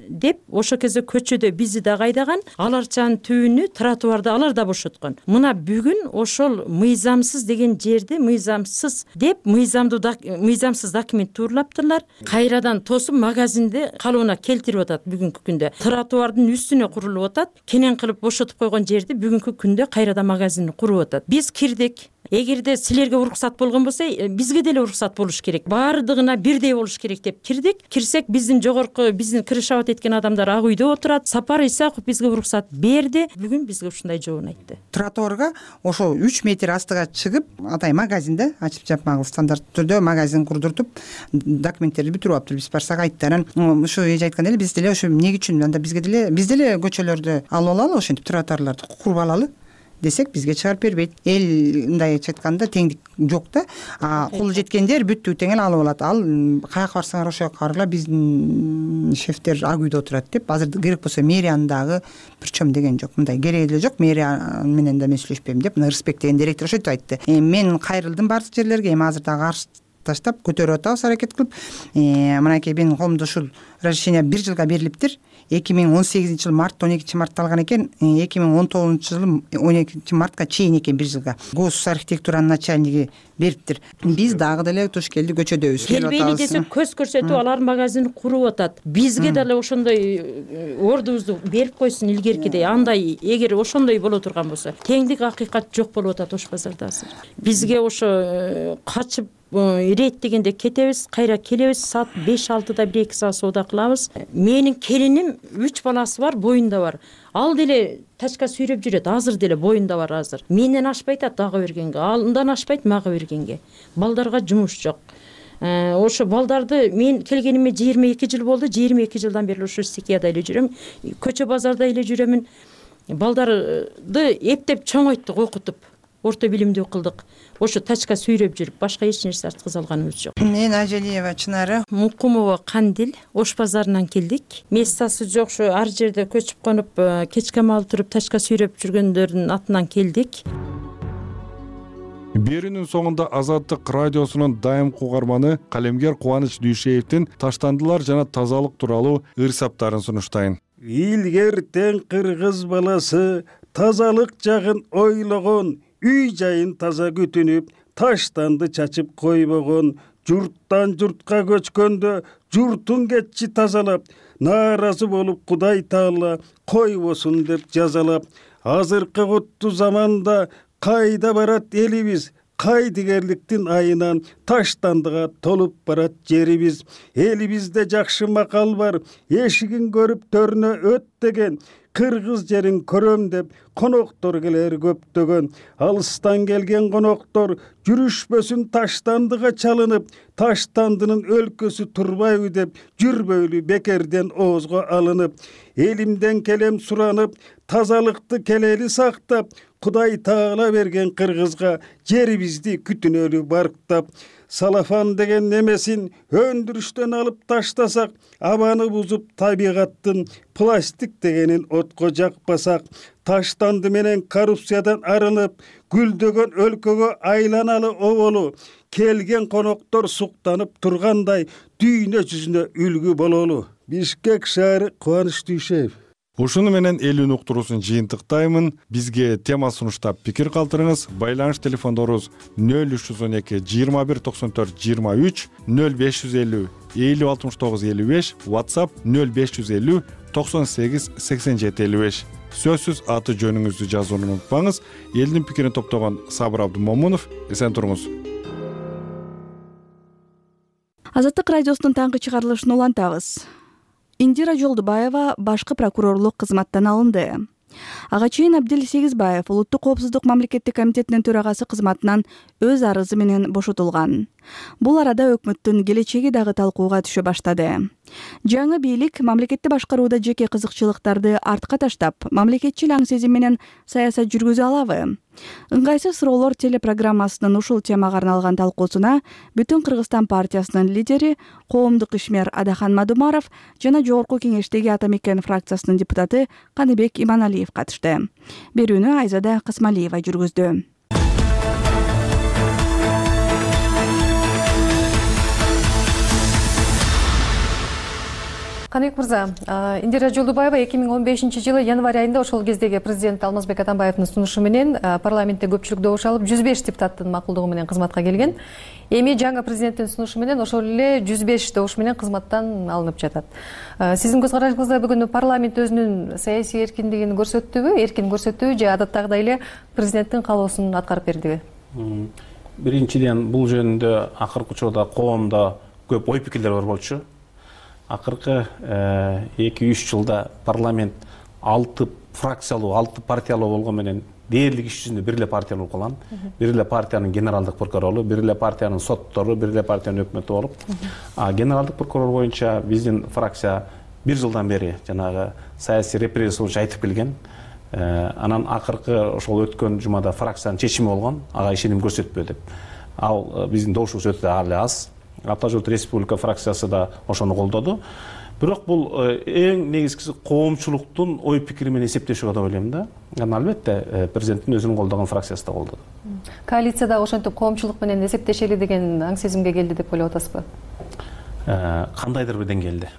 деп ошол кезде көчөдө бизди да кайдаган, аларчанын түбүнү тротуарды алар да бошоткон. Мына бүгүн ошол мыйзамсыз деген жерди мыйзамсыз деп мыйзамдуу мыйзамсыз документ туурулаптырлар. Кайрадан тосуп магазинди калыбына келтирип атат бүгүнкү күндө. Тротуардын үстүнө курулуп атат. Кенен кылып бошотуп койгон жерди бүгүнкү күндө кайрадан магазин куруп атат. Биз кирдик. Эгерде силерге уруксат болгон болсо, бизге деле уруксат болуш керек. Баардыгына бирдей болуш керек деп деп кирдик. Кирсек биздин жогорку биздин кириш абад эткен адамдар ак үйдө отурат. Сапар Исаков бизге уруксат берди. Бүгүн бизге ушундай жообун айтты. Тротуарга ошол үч метр астыга чыгып, атай магазинде ачып жапмагыл стандарттуу түрдө магазин курдуртуп, документтерди бүтүрүп алыптыр. Биз барсак айтты. Анан ушу эже айткан эле, биз деле ошо эмне үчүн анда бизге деле биз деле көчөлөрдү алып алалы, ошентип тротуарларды куруп алалы десек бизге чыгарып бербейт. Эл мындайча айтканда теңдик жок да. Колу жеткендер бүттү тең эле алып алат. Ал каяка барсаңар ошол жака баргыла, биздин шефтер ак үйдө отурат деп. Азыр керек болсо мэриянын дагы причем деген жок. Мындай кереги деле жок. Мэрия менен да мен сүйлөшпөйм деп Рысбек деген директор ошентип айтты. Мен кайрылдым бардык жерлерге, эми азыр дагы каршы таштап көтөрүп атабыз, аракет кылып. Мынакей менин колумда ушул разрешение бир жылга берилиптир. эки миң он сегизинчи жыл март он экинчи мартта алган экен. эки миң он тогузунчу жылы он экинчи мартка чейин экен бир жылга. Гос архитектуранын начальниги бериптир. Биз дагы деле туш келди көчөдөбүз. Келбейли десе көз көрсөтүп алар магазин куруп атат. Бизге деле ошондой ордубузду берип койсун илгеркидей. Андай эгер ошондой боло турган болсо, теңдик акыйкат жок болуп атат ош базарда азыр. Бизге ошо качып ирет дегенде кетебиз, кайра келебиз, саат беш алтыда бир эки саат соода кылабыз. Менин келиним үч баласы бар, боюнда бар. Ал деле тачка сүйрөп жүрөт, азыр деле боюнда бар азыр. Менден ашпайт ат ага бергенге, андан ашпайт мага бергенге. Балдарга жумуш жок. Ошо балдарды мен келгениме жыйырма эки жыл болду. жыйырма эки жылдан бери ошо стихияда эле жүрөм. Көчө базарда эле жүрөмүн. Балдарды эптеп чоңойттук, окутуп, орто билимдүү кылдык. Ошо тачка сүйрөп жүрүп, башка эч нерсе арткыза алганыбыз жок. Мен Ажалиева Чынары, Мукумова Кандил, Ош базарынан келдик. Мессасы жок, ошо ар жерде көчүп конуп, кечке маал туруп тачка сүйрөп жүргөндөрдүн атынан келдик. Берүүнүн соңунда Азаттык радиосунун дайымкы угарманы калемгер Кубаныч Дүйшеевдин таштандылар жана тазалык тууралуу ыр-саптарын сунуштайын. Илгертен кыргыз баласы тазалык жагын ойлогон, үй жайын таза күтүнүп, таштанды чачып койбогон, журттан журтка көчкөндө журтун кетчи тазалап, нааразы болуп Кудай Таала койбосун деп жазалап, азыркы куттуу заманда кайда барат элибиз, кайдыгерликтин айынан таштандыга толуп барат жерибиз. Элибизде жакшы макал бар, эшигин көрүп төрүнө өт деген, кыргыз жерин көрөм деп коноктор келер көптөгөн. Алыстан келген коноктор жүрүшпөсүн таштандыга чалынып, таштандынын өлкөсү турбайбы деп жүрбөйлү бекерден оозго алынып. Элимден келем суранып, тазалыкты келели сактап, Кудай Таала берген кыргызга жерибизди күтүнөлү барктап. Салафан деген немесин өндүрүштөн алып таштасак, абаны бузуп табигаттын, пластик дегенин отко жакпасак, таштанды менен коррупциядан арылып, гүлдөгөн өлкөгө айланалы оболу, келген коноктор суктанып тургандай дүйнө жүзүнө үлгү бололу. Бишкек шаары, Кубаныч Дүйшеев. Ушуну менен элүүнү уктуруусун жыйынтыктаймын. Бизге тема сунуштап пикир калтырыңыз. Байланыш телефондорубуз нөл үч жүз он эки жыйырма бир токсон төрт жыйырма үч, нөл беш жүз элүү элүү алтымыш тогуз элүү беш, WhatsApp нөл беш жүз элүү токсон сегиз сексен жети элүү беш. Сөзсүз аты жөнүңүздү жазууну унутпаңыз. Элдин пикирин топтогон Сабыр Абдымомунов, эсен туруңуз. Азаттык радиосунун таңкы чыгарылышын улантабыз. Индира Жолдубаева башкы прокурорлук кызматтан алынды. Ага чейин Абдил Сегизбаев Улуттук коопсуздук мамлекеттик комитетинин төрагасы кызматынан өз арызы менен бошотулган. Бул арада өкмөттүн келечеги дагы талкууга түшө баштады. Жаңы бийлик мамлекетти башкарууда жеке кызыкчылыктарды артка таштап, мамлекетчил аң сезим менен саясат жүргүзө алабы? Ыңгайсыз суроолор телепрограммасынын ушул темага арналган талкуусуна Бүтүн Кыргызстан партиясынын лидери, коомдук ишмер Адахан Мадумаров жана Жогорку Кеңештеги Ата Мекен фракциясынын депутаты Каныбек Иманалиев катышты. Берүүнү Айзада Касмалиева жүргүздү. Каныбек мырза, Индира Жолдубаева эки миң он бешинчи жылы январь айында ошол кездеги президент Алмазбек Атамбаевдин сунушу менен парламентте көпчүлүк добуш алып жүз беш депутаттын макулдугу менен кызматка келген. Эми жаңы президенттин сунушу менен ошол эле жүз беш добуш менен кызматтан алынып жатат. Сиздин көз карашыңызда бүгүн парламент өзүнүн саясий эркиндигин көрсөттүбү, эркин көрсөттүбү же адаттагыдай эле президенттин каалоосун аткарып бердиби? Биринчиден, бул жөнүндө акыркы учурда коомдо көп ой пикирлер бар болчу. Акыркы эки үч жылда парламент алты фракциялуу, алты партиялуу болгон менен дээрлик иш жүзүндө бир эле партия болуп калган. Бир эле партиянын генералдык прокурору, бир эле партиянын соттору, бир эле партиянын өкмөтү болуп, а генералдык прокурор боюнча биздин фракция бир жылдан бери жанагы саясий репрессия боюнча айтып келген. Анан акыркы ошол өткөн жумада фракциянын чечими болгон, ага ишеним көрсөтпө деп. Ал биздин добушубуз өтө али аз. Ата журт республика фракциясы да ошону колдоду. Бирок бул эң негизгиси коомчулуктун ой пикири менен эсептешүү деп ойлойм да. Анан албетте президенттин өзүнүн колдогон фракциясы да колдоду. Коалицияда ошентип коомчулук менен эсептешели деген аң сезимге келди деп ойлоп атасызбы? Кандайдыр бир деңгээлде.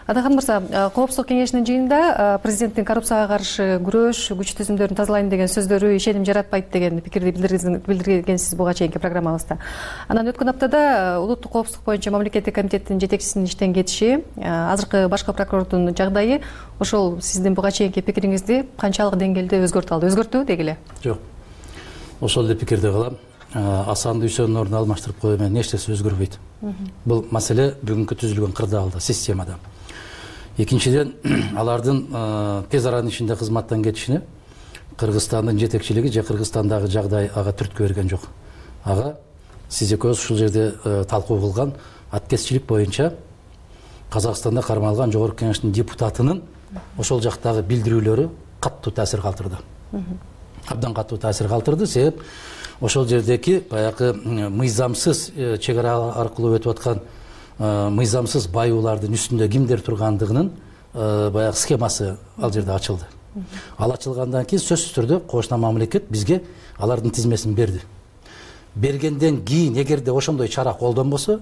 Атакан мырза, Коопсуздук кеңешинин жыйынында президенттин коррупцияга каршы күрөш, күч түзүмдөрүн тазалайм деген сөздөрү ишеним жаратпайт деген пикирди билдиргенсиз буга чейинки программабызда. Анан өткөн аптада улуттук коопсуздук боюнча мамлекеттик комитеттин жетекчисинин иштен кетиши, азыркы башкы прокурордун жагдайы ошол сиздин буга чейинки пикириңизди канчалык деңгээлде өзгөртүп алды? Өзгөртүбү дегиле? Жок. Ошол эле пикирде калам. Асан Дүйсөнүн ордун алмаштырып коюу менен эч нерсе өзгөрбөйт. Бул маселе бүгүнкү түзүлгөн кырдаалда, системада. Экинчиден, алардын тез аранын ичинде кызматтан кетишине Кыргызстандын жетекчилиги же Кыргызстандагы жагдай ага түрткү берген жок. Ага сиз экөөбүз ушул жерде талкуу кылган аткезчилик боюнча Казакстанда кармалган Жогорку Кеңештин депутатынын ошол жактагы билдирүүлөрү каттуу таасир калтырды. Абдан каттуу таасир калтырды, себеп ошол жердеки баягы мыйзамсыз чек ара аркылуу өтүп аткан мыйзамсыз байуулардын үстүндө кимдер тургандыгынын баягы схемасы ал жерде ачылды. Ал ачылгандан кийин сөзсүз түрдө кошуна мамлекет бизге алардын тизмесин берди. Бергенден кийин эгерде ошондой чара колдонбосо,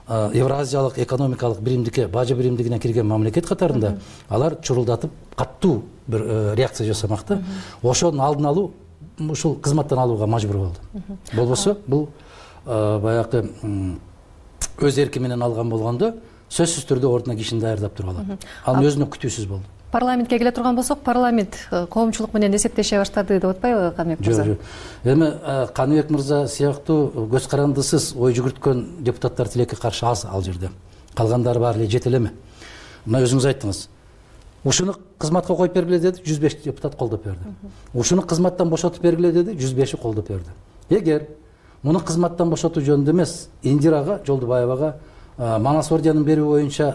Евразиялык экономикалык биримдикке, бажы биримдигине кирген мамлекет катарында алар чурулдатып каттуу бир реакция жасамак да. Ошонун алдын алуу ушул кызматтан алууга мажбур болду. Болбосо бул баягы өз эрки менен алган болгондо сөзсүз түрдө ордуна кишини даярдап туруп алат. Анын өзүнө күтүүсүз болду. Парламентке келе турган болсок, парламент коомчулук менен эсептеше баштады деп атпайбы Каныбек мырза? Жок, жок. Эми Каныбек мырза сыяктуу көз карандысыз ой жүгүрткөн депутаттар тилекке каршы аз ал жерде. Калгандары баары эле жете элеме? Мына өзүңүз айттыңыз. Ушуну кызматка коюп бергиле деди, жүз беш депутат колдоп берди. Ушуну кызматтан бошотуп бергиле деди, жүз беши колдоп берди. Эгер муну кызматтан бошотуу жөнүндө эмес, Индирага Жолдубаевага Манас орденин берүү боюнча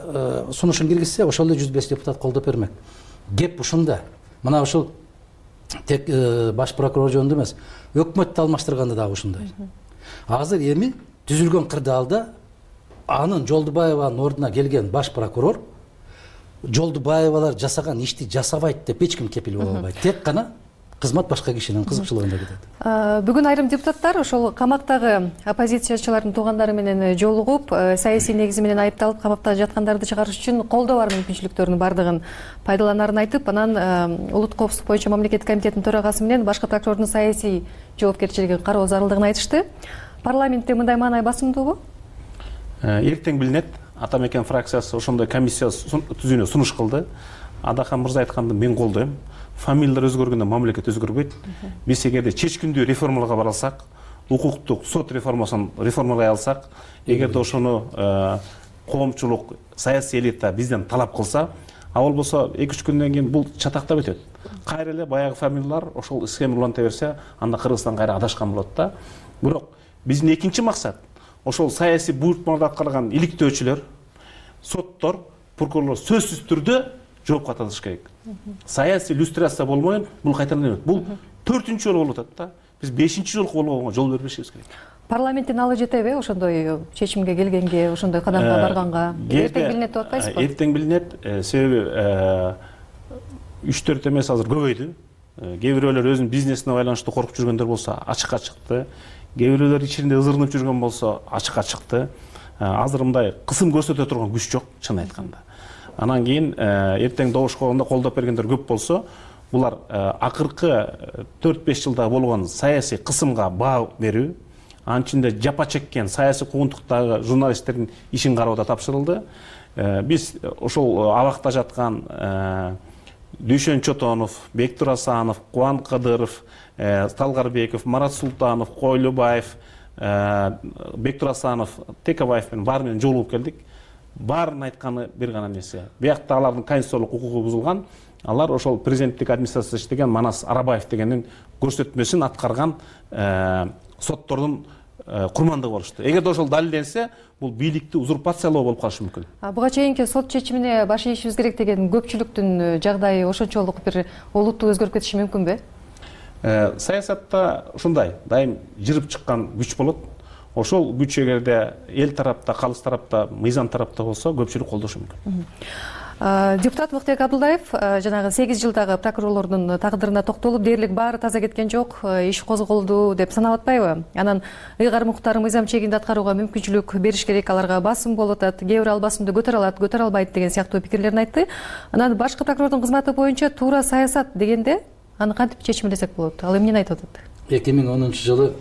сунушун киргизсе, ошол эле жүз беш депутат колдоп бермек. Кеп ушунда. Мына ушул тек баш прокурор жөнүндө эмес, өкмөттү алмаштырганда дагы ушундай. Азыр эми түзүлгөн кырдаалда анын Жолдубаеванын ордуна келген баш прокурор Жолдубаевалар жасаган ишти жасабайт деп эч ким кепил боло албайт. Тек гана кызмат башка кишинин кызыкчылыгында кетет. Бүгүн айрым депутаттар ошол камактагы оппозициячылардын туугандары менен жолугуп, саясий негизи менен айыпталып камакта жаткандарды чыгарыш үчүн колдоо бар мүмкүнчүлүктөрүнүн бардыгын пайдаланарын айтып, анан улуттук коопсуздук боюнча мамлекеттик комитеттин төрагасы менен башкы прокурордун саясий жоопкерчилигин кароо зарылдыгын айтышты. Парламентте мындай маанай басымдуубу? Эртең билинет. Атамекен фракциясы ошондой комиссия түзүүнө сунуш кылды. Адахан мырза айтканды мен колдойм. Фамилиялар өзгөргөндө мамлекет өзгөрбөйт. Биз эгерде чечкиндүү реформаларга бара алсак, укуктук сот реформасын реформалай алсак, эгерде ошону коомчулук, саясий элита бизден талап кылса, а болбосо эки үч күндөн кийин бул чатактап өтөт. Кайра эле баягы фамилиялар ошол схема уланта берсе, анда Кыргызстан кайра адашкан болот да. Бирок биздин экинчи максат ошол саясий буйртмаларды аткарган иликтөөчүлөр, соттор, прокурорлор сөзсүз түрдө жоопко тартылыш керек. Саясий иллюстрация болмойын, бул кайтадан эмес. Бул төртүнчү жолу болуп атат да. Биз бешинчи жолку болгонго жол бербешибиз керек. Парламенттин алы жетеби ошондой чечимге келгенге, ошондой кадамга барганга? Эртең билинет деп атпайсызбы? Эртең билинет, себеби үч төрт эмес азыр көбөйдү. Кээ бирөөлөр өзүнүн бизнесине байланыштуу коркуп жүргөндөр болсо ачыкка чыкты. Кээ бирөөлөр ичинде ызырынып жүргөн болсо ачыкка чыкты. Азыр мындай кысым көрсөтө турган күч жок, чын айтканда. Анан кийин эртең добуш кылганда колдоп бергендер көп болсо, булар акыркы төрт беш жылда болгон саясий кысымга баа берүү, анын ичинде жапа чеккен саясий куугунтуктагы журналисттердин ишин кароодо тапшырылды. Биз ошол абакта жаткан Дүйшөн Чотонов, Бектур Асанов, Кубан Кадыров, Талгарбеков, Марат Султанов, Койлубаев, Бектур Асанов, Текебаев менен баары менен жолугуп келдик. Баарын айтканы бир гана нерсе. Биякта алардын конституциялык укугу бузулган. Алар ошол президенттик администрацияда иштеген Манас Арабаев дегендин көрсөтмөсүн аткарган соттордун курмандыгы болушту. Эгерде ошол далилденсе, бул бийликти узурпациялоо болуп калышы мүмкүн. Буга чейинки сот чечимине баш ийишибиз керек деген көпчүлүктүн жагдайы ошончолук бир олуттуу өзгөрүп кетиши мүмкүнбү? Саясатта ушундай, дайым жырып чыккан күч болот. Ошол күч эгерде эл тарапта, калыс тарапта, мыйзам тарапта болсо, көпчүлүк колдошу мүмкүн. Депутат Мыктыбек Абдулдаев жанагы сегиз жылдагы прокурорлордун тагдырына токтолуп, дээрлик баары таза кеткен жок, иш козголду деп санап атпайбы? Анан ыйгарым укуктарын мыйзам чегинде аткарууга мүмкүнчүлүк бериш керек, аларга басым болуп атат, кээ бир ал басымды көтөрө алат, көтөрө албайт деген сыяктуу пикирлерин айтты. Анан башкы прокурордун кызматы боюнча туура саясат дегенде аны кантип чечимдесек болот? Ал эмнени айтып атат? эки миң онунчу жылы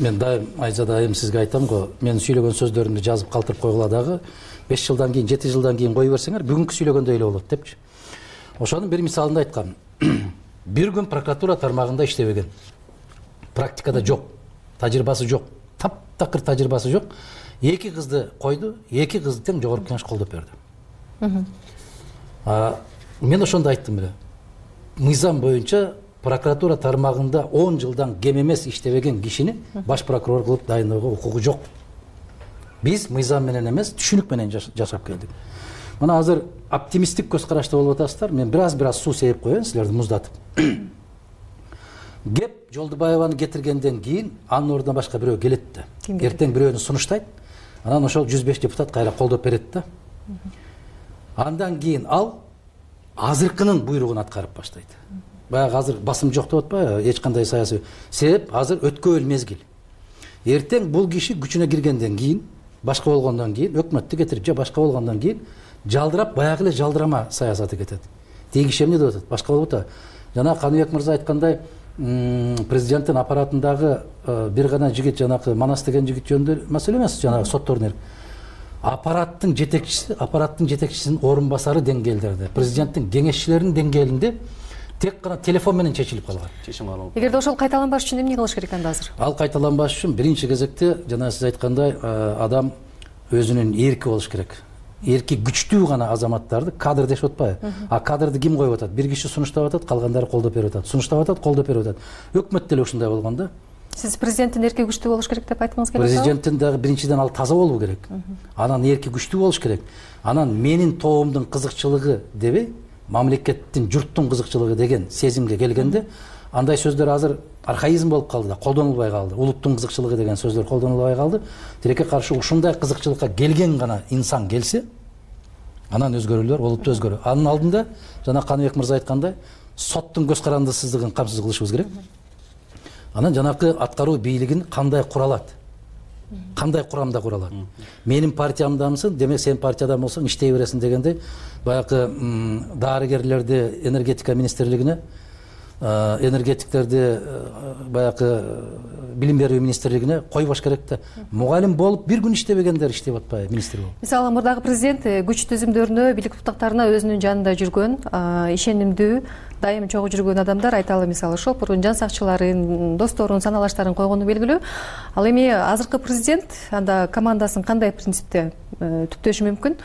мен дайым Айзада айым сизге айтам го, мен сүйлөгөн сөздөрүмдү жазып калтырып койгула дагы беш жылдан кийин, жети жылдан кийин кое берсеңер, бүгүнкү сүйлөгөндөй эле болот депчи. Ошонун бир мисалында айткам. Бир күн прокуратура тармагында иштебеген. Практикада жок, тажрыйбасы жок, таптакыр тажрыйбасы жок. Эки кызды койду, эки кызды тең жогорку кеңеш колдоп берди. Мен ошондо айттым эле. Мыйзам боюнча прокуратура тармагында он жылдан кем эмес иштебеген кишини баш прокурор кылып дайындоого укугу жок. Биз мыйзам менен эмес, түшүнүк менен жашап келдик. Мына азыр оптимисттик көз карашта болуп атасыздар. Мен бир аз бир аз суу сеип коеюн силерди муздатып. Кеп Жолдубаеваны кетиргенден кийин анын ордуна башка бирөө келет да. Эртең бирөөнү сунуштайт. Анан ошол жүз беш депутат кайра колдоп берет да. Андан кийин ал азыркынын буйругун аткарып баштайт. Баягы азыр басым жок деп атпайбы, эч кандай саясий себеп азыр өткөн мезгил. Эртең бул киши күчүнө киргенден кийин, башка болгондон кийин, өкмөттү кетирип же башка болгондон кийин жалдырап, баягы эле жалдырама саясаты кетет. Тиги киши эмне деп атат? Башка болуп атат. Жана Каныбек мырза айткандай, президенттин аппаратындагы бир гана жигит, жанагы Манас деген жигит жөнүндө маселе эмес, жанагы соттордун аппараттын жетекчиси, аппараттын жетекчисинин орун басары деңгээлдерде, президенттин кеңешчилеринин деңгээлинде тек гана телефон менен чечилип калган. Чечим алып. Эгерде ошол кайталанбаш үчүн эмне кылыш керек анда азыр? Ал кайталанбаш үчүн биринчи кезекте жана сиз айткандай адам өзүнүн эрки болуш керек. Эрки күчтүү гана азаматтарды кадр дешип атпайбы? А кадрды ким коюп атат? Бир киши сунуштап атат, калгандары колдоп берип атат. Сунуштап атат, колдоп берип атат. Өкмөт деле ушундай болгон да. Сиз президенттин эрки күчтүү болуш керек деп айткыңыз келет? Президенттин дагы биринчиден ал таза болуу керек. Анан эрки күчтүү болуш керек. Анан менин тобумдун кызыкчылыгы дебей, мамлекеттин, журттун кызыкчылыгы деген сезимге келгенде, андай сөздөр азыр архаизм болуп калды да, колдонулбай калды. Улуттун кызыкчылыгы деген сөздөр колдонулбай калды. Тилекке каршы ушундай кызыкчылыкка келген гана инсан келсе, анан өзгөрүүлөр, олуттуу өзгөрүү. Анын алдында жана Каныбек мырза айткандай, соттун көз карандысыздыгын камсыз кылышыбыз керек. Анан жанакы аткаруу бийлигин кандай куралат? Кандай курамда куралат? Менин партиямдамысың, демек сен партиядан болсоң иштей бересиң дегендей, баягы дарыгерлерди энергетика министрлигине, энергетиктерди баягы билим берүү министрлигине койбош керек да. Мугалим болуп бир күн иштебегендер иштеп атпайбы министр болуп? Мисалы мурдагы президент күч түзүмдөрүнө, бийлик туптактарына өзүнүн жанында жүргөн, ишенимдүү, дайым чогуу жүргөн адамдар, айталы мисалы шопурун, жан сакчыларын, досторун, саналаштарын койгону белгилүү. Ал эми азыркы президент анда командасын кандай принципте түптөшү мүмкүн?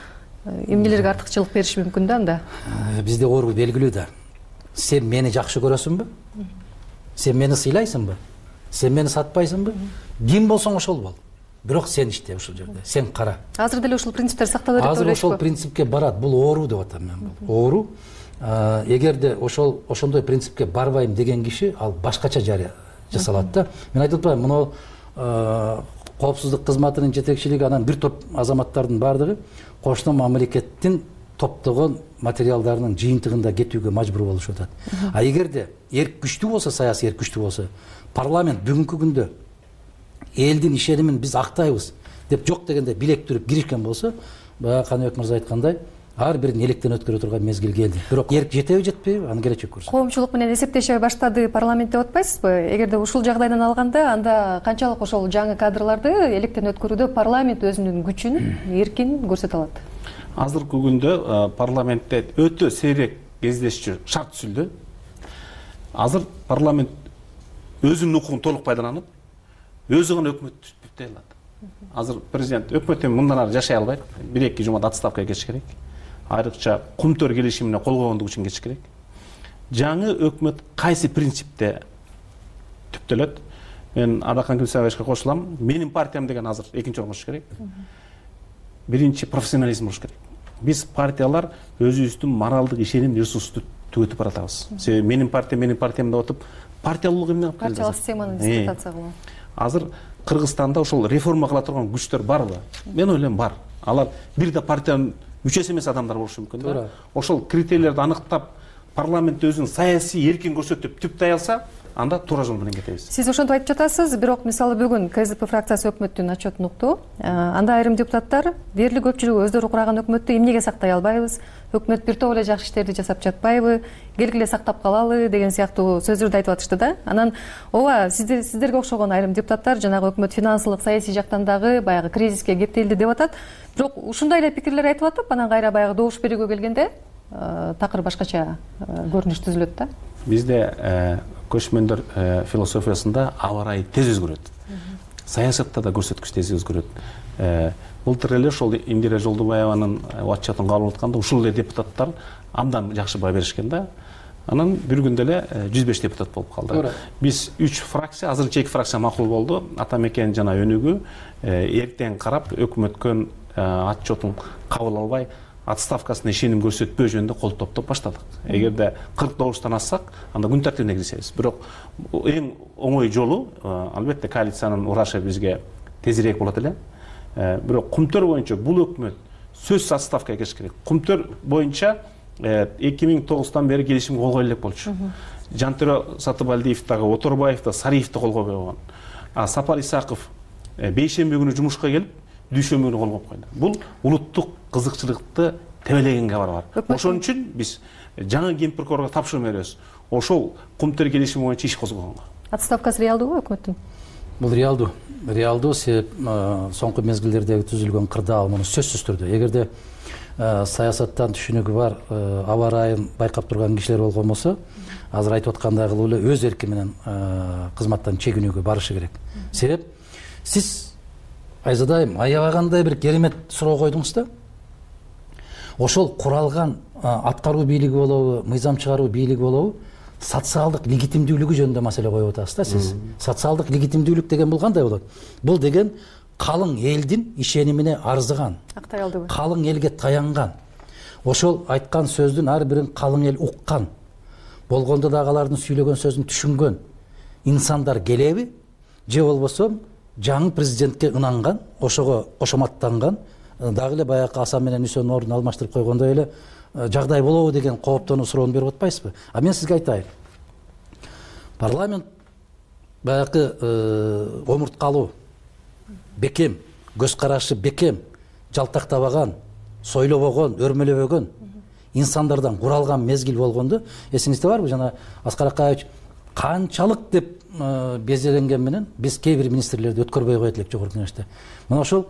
Эмнелерге артыкчылык бериши мүмкүн да анда? Бизде ору белгилүү да. Сен мени жакшы көрөсүңбү? Сен мени сыйлайсыңбы? Сен мени сатпайсыңбы? Ким болсоң ошол бол. Бирок сен иште ушул жерде. Сен кара. Азыр деле ушул принциптер сактала берет деп ойлойсузбу? Азыр ошол принципке барат. Бул оору деп атам мен бул. Оору. Эгерде ошол ошондой принципке барбайм деген киши ал башкача жарыя жасалат да. Мен айтып атпаймынбы, мына коопсуздук кызматынын жетекчилиги анан бир топ азаматтардын баардыгы кошуна мамлекеттин топтогон материалдарынын жыйынтыгында кетүүгө мажбур болушуп атат. А эгерде эрк күчтүү болсо, саясий эрк күчтүү болсо, парламент бүгүнкү күндө элдин ишенимин биз актайбыз деп жок дегенде билек түрүп киришкен болсо, баягы Каныбек мырза айткандай, ар бирин электен өткөрө турган мезгил келди. Бирок эрк жетеби, жетпейби, аны келечек көрсөтөт. Коомчулук менен эсептеше баштады парламент деп атпайсызбы? Эгерде ушул жагдайдан алганда, анда канчалык ошол жаңы кадрларды электен өткөрүүдө парламент өзүнүн күчүн, эркин көрсөтө алат? Азыркы күндө парламентте өтө сейрек кездешчү шарт түзүлдү. Азыр парламент өзүнүн укугун толук пайдаланып, өзү гана өкмөт түздөй алат. Азыр президент өкмөт эми мындан ары жашай албайт. бир эки жумада отставкага кетиш керек. Айрыкча Кумтөр келишимине кол койгондугу үчүн кетиш керек. Жаңы өкмөт кайсы принципте түптөлөт? Мен Аракан Кылсабаевичке кошулам. Менин партиям деген азыр экинчи орунга чыгыш керек. Биринчи профессионализм болуш керек. Биз партиялар өзүбүздүн моралдык ишеним ресурсту түгөтүп баратабыз. Себеби менин партия, менин партиям деп атып, партиялуулук эмне алып келди? Партиялык системаны дискредитация кылуу. Азыр Кыргызстанда ошол реформа кыла турган күчтөр барбы? Мен ойлойм бар. Алар бир да партиянын мүчөсү эмес адамдар болушу мүмкүн да. Ошол критерийлерди аныктап, парламентте өзүн саясий эркин көрсөтүп түптөй алса, анда туура жол менен кетебиз. Сиз ошентип айтып жатасыз, бирок мисалы бүгүн КСДП фракциясы өкмөттүн отчетун укту. Анда айрым депутаттар дээрлик көпчүлүгү өздөрү курган өкмөттү эмнеге сактай албайбыз? Өкмөт бир топ эле жакшы иштерди жасап жатпайбы? Келгиле сактап калалы деген сыяктуу сөздөрдү айтып атышты да. Анан ооба, сиздер сиздерге окшогон айрым депутаттар жанагы өкмөт финансылык, саясий жактан дагы баягы кризиске кептелди деп атат. Бирок ушундай эле пикирлер айтып атып, анан кайра баягы добуш берүүгө келгенде такыр башкача көрүнүш түзүлөт да. Бизде көчмөндөр философиясында аба ырайы тез өзгөрөт. Саясатта да көрсөткүч тез өзгөрөт. Былтыр эле ошол Индира Жолдубаеванын отчетун кабыл атканда ушул эле депутаттар абдан жакшы баа беришкен да. Анан бир күндө эле жүз беш депутат болуп калды. Биз үч фракция, азырынча эки фракция макул болду. Атамекен жана Өнүгүү эртең карап өкмөткөн отчетун кабыл албай отставкасына ишеним көрсөтпөө жөнүндө кол топтоп баштадык. Эгерде кырк добуштан ассак, анда күн тартибине киришебиз. Бирок эң оңой жолу албетте коалициянын урашы бизге тезирээк болот эле. Бирок Кумтөр боюнча бул өкмөт сөзсүз отставкага кетиш керек. Кумтөр боюнча эки миң тогуздан бери келишимге кол кое элек болчу. Жантөре Сатыбалдиев дагы, Оторбаев да, Сариев да кол койбой койгон. А Сапар Исаков бейшемби күнү жумушка келип, дүйшөмбү күнү кол коюп койду. Бул улуттук кызыкчылыкты тебелеген кабар бар. Ошон үчүн биз жаңы ген прокурорго тапшырма беребиз. Ошол Кумтөр келишими боюнча иш козгогонго. Отставкасы реалдуубу өкмөттүн? Бул реалдуу. Реалдуу себеп соңку мезгилдердеги түзүлгөн кырдаал муну сөзсүз түрдө. Эгерде саясаттан түшүнүгү бар, аба ырайын байкап турган кишилер болгон болсо, азыр айтып аткандагы эле өз эрки менен кызматтан чегинүүгө барышы керек. Себеп сиз Айзадайым аябагандай бир керемет суроо койдуңуз да. Ошол куралган аткаруу бийлиги болобу, мыйзам чыгаруу бийлиги болобу, социалдык легитимдүүлүгү жөнүндө маселе коюп атасыз да сиз. Социалдык легитимдүүлүк деген бул кандай болот? Бул деген калың элдин ишенимине арзыган, актай алдыбы? Калың элге таянган. Ошол айткан сөздүн ар бирин калың эл уккан. Болгондо дагы алардын сүйлөгөн сөзүн түшүнгөн инсандар келеби, же болбосо жаңы президентке ынанган, ошого кошоматтанган, дагы эле баягы Асан менен Үсөнүн ордун алмаштырып койгондой эле жагдай болобу деген кооптонуу суроону берип атпайсызбы? А мен сизге айтайын. Парламент баягы омурткалуу, бекем, көз карашы бекем, жалтактабаган, сойлобогон, өрмөлөбөгөн инсандардан куралган мезгил болгондо, эсиңизде барбы жана Аскар Акаевич канчалык деп безеленген менен биз кээ бир министрлерди өткөрбөй коет элек жогорку кеңеште. Мына ошол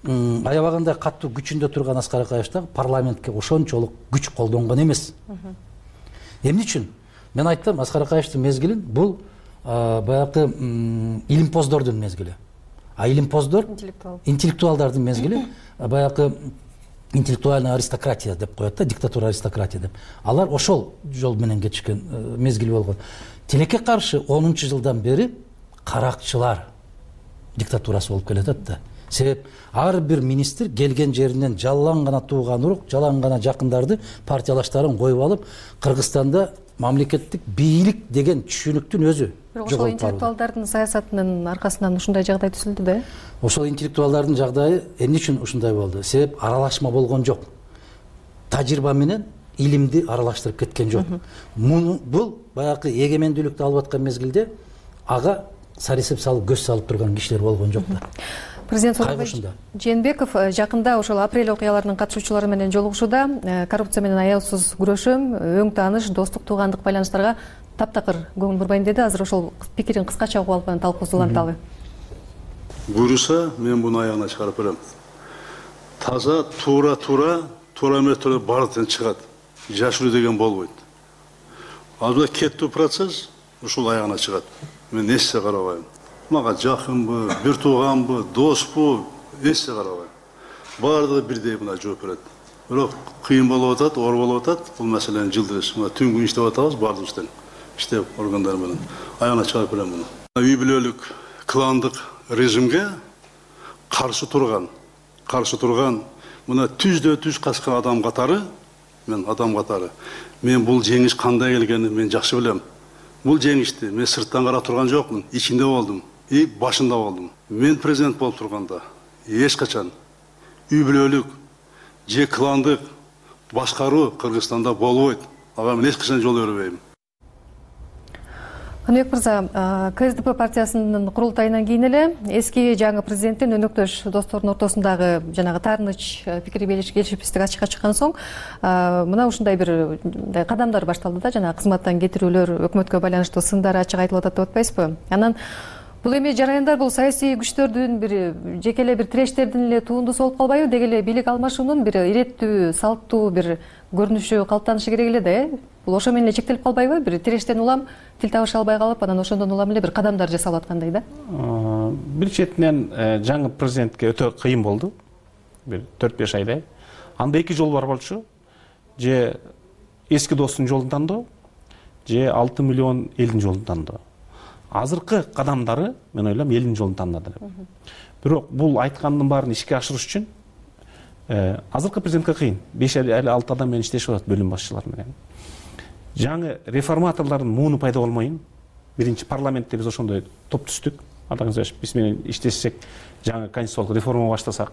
аябагандай каттуу күчүндө турган Аскар Акаевич дагы парламентке ошончолук күч колдонгон эмес. Эмне үчүн? Мен айттым, Аскар Акаевичтин мезгилин бул баягы илимпоздордун мезгили. А илимпоздор интеллектуалдардын мезгили баягы интеллектуальная аристократия деп коет да, диктатура аристократия деп. Алар ошол жол менен кетишкен мезгил болгон. Тилекке каршы онунчу жылдан бери каракчылар диктатурасы болуп келатат да. Себеп ар бир министр келген жеринен жалаң гана тууган урук, жалаң гана жакындарды, партиялаштарын коюп алып, Кыргызстанда мамлекеттик бийлик деген түшүнүктүн өзү. Ошол интеллектуалдардын саясатынын аркасынан ушундай жагдай түзүлдү да. Ошол интеллектуалдардын жагдайы эмне үчүн ушундай болду? Себеп аралашма болгон жок. Тажрыйба менен илимди аралаштырып кеткен жок. Бул баягы эгемендүүлүктү алып аткан мезгилде ага сарисеп салып көз салып турган кишилер болгон жок да. Президент Сооронбай Жээнбеков жакында ошол апрель окуяларынын катышуучулары менен жолугушууда коррупция менен аяусуз күрөшөм, өң тааныш, достук, туугандык байланыштарга таптакыр көңүл бурбайм деди. Азыр ошол пикирин кыскача угуп алып анан талкуубузду уланталы. Буюрса, мен муну аягына чыгарып берем. Таза, туура, туура, туура методо бардыгын чыгат. Жашыруу деген болбойт. Азыр кеттүү процесс ушул аягына чыгат. Мен эчсе карабайм. мага жакынбы, бир тууганбы, доспу, эчсе карабайм. Баардыгы бирдей мына жооп берет. Бирок кыйын болуп атат, оор болуп атат. Бул маселени жылдыз. Мына түн күн иштеп атабыз баардыгыбыздан. Иштеп органдар менен аягына чыгарып берем муну. Үй бүлөлүк, кландык режимге каршы турган, каршы турган мына түздө түз качкан адам катары, мен адам катары. Мен бул жеңиш кандай келгенин мен жакшы билем. Бул жеңишти мен сырттан карап турган жокмун, ичинде болдум и башында болдум. Мен президент болуп турганда эч качан үй бүлөлүк же кландык башкаруу Кыргызстанда болбойт. Ага мен эч качан жол бербейм. Каныбек мырза, КСДП партиясынын курултайынан кийин эле эски жаңы президенттин өнөктөш достордун ортосундагы жанагы таарыныч пикир келишипсиздик ачыкка чыккан соң мына ушундай бир кадамдар башталды да, жана кызматтан кетирүүлөр, өкмөткө байланыштуу сындар ачык айтылып атат деп атпайсызбы? Анан бул эми жараяндар бул саясий күчтөрдүн бир жеке эле бир тирештердин эле туундусу болуп калбайбы? Деги эле бийлик алмашуунун бир иреттүү, салттуу бир көрүнүшү калыптанышы керек эле да, э? Бул ошо менен эле чектелип калбайбы? Бир тирештен улам тил табыша албай калып, анан ошондон улам эле бир кадамдар жасалып аткандай да? Бир четинен жаңы президентке өтө кыйын болду. Бир төрт беш айдай. Анда эки жол бар болчу. Же эски достун жолун тандоо, же алты миллион элдин жолун тандоо. Азыркы кадамдары мен ойлойм элдин жолун тандады деп. Бирок бул айткандын баарын ишке ашырыш үчүн азыркы президентке кыйын. беш эле алты адам менен иштешип атат бөлүм башчылары менен. Жаңы реформаторлордун мууну пайда болмойын. Биринчи парламентте биз ошондой топ түздүк. Атаңыз биз менен иштешсек, жаңы конституциялык реформа баштасак.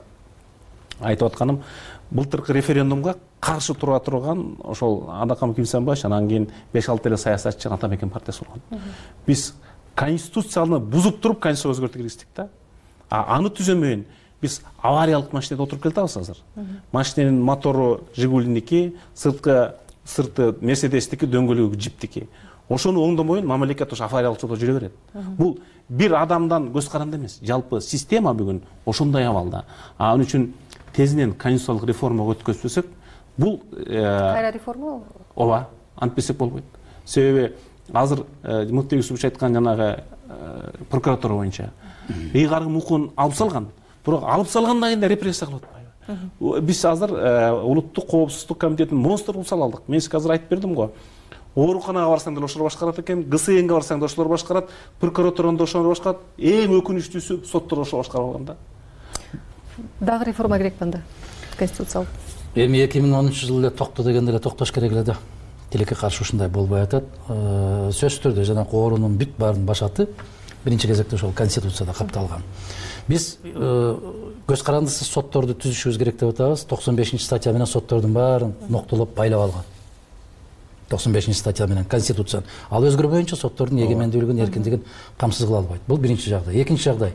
Айтып атканым, былтыркы референдумга каршы тура турган ошол Адакам Кимсанбаевич, анан кийин беш алты эле саясатчы Атамекен партиясы болгон. Биз конституцияны бузуп туруп конституцияга өзгөртүү киргиздик да. А аны түзөмөйүн биз авариялык машинеде отуруп келатабыз азыр. Машиненин мотору Жигулиники, сырткы сырты Мерседестики, дөңгөлөгү Джиптики. Ошону оңдомойун мамлекет ошо авариялык жолдо жүрө берет. Бул бир адамдан көз каранды эмес. Жалпы система бүгүн ошондой абалда. Ал үчүн тезинен конституциялык реформага өткөзсөк, бул кайра реформа? Ооба, антпесек болбойт. Себеби азыр Мыктыбек Юсупович айткан жанагы прокуратура боюнча ыйгарым укугун алып салган. Бирок алып салгандан кийин репрессия кылып атпайбы? Биз азыр улуттук коопсуздук комитетин монстр кылып сала алдык. Мен сизге азыр айтып бердим го. Ооруканага барсаң деле ошолор башкарат экен, ГСНге барсаң да ошолор башкарат, прокуратурада ошолор башкарат. Эң өкүнүчтүүсү соттор ошо башкарып алган да. Дагы реформа керек банда конституциялык. Эми эки миң онунчу жылы эле токто дегенде эле токтош керек эле да. Тилекке каршы ушундай болбой атат. Сөзсүз түрдө жанагы оорунун бүт баарынын башаты биринчи кезекте ошол конституцияда капталган. Биз көз карандысыз сотторду түзүшүбүз керек деп атабыз. токсон бешинчи статья менен соттордун баарын ноктолоп байлап алган. токсон бешинчи статья менен конституция. Ал өзгөрбөйүнчө соттордун эгемендүүлүгүн, эркиндигин камсыз кыла албайт. Бул биринчи жагдай. Экинчи жагдай.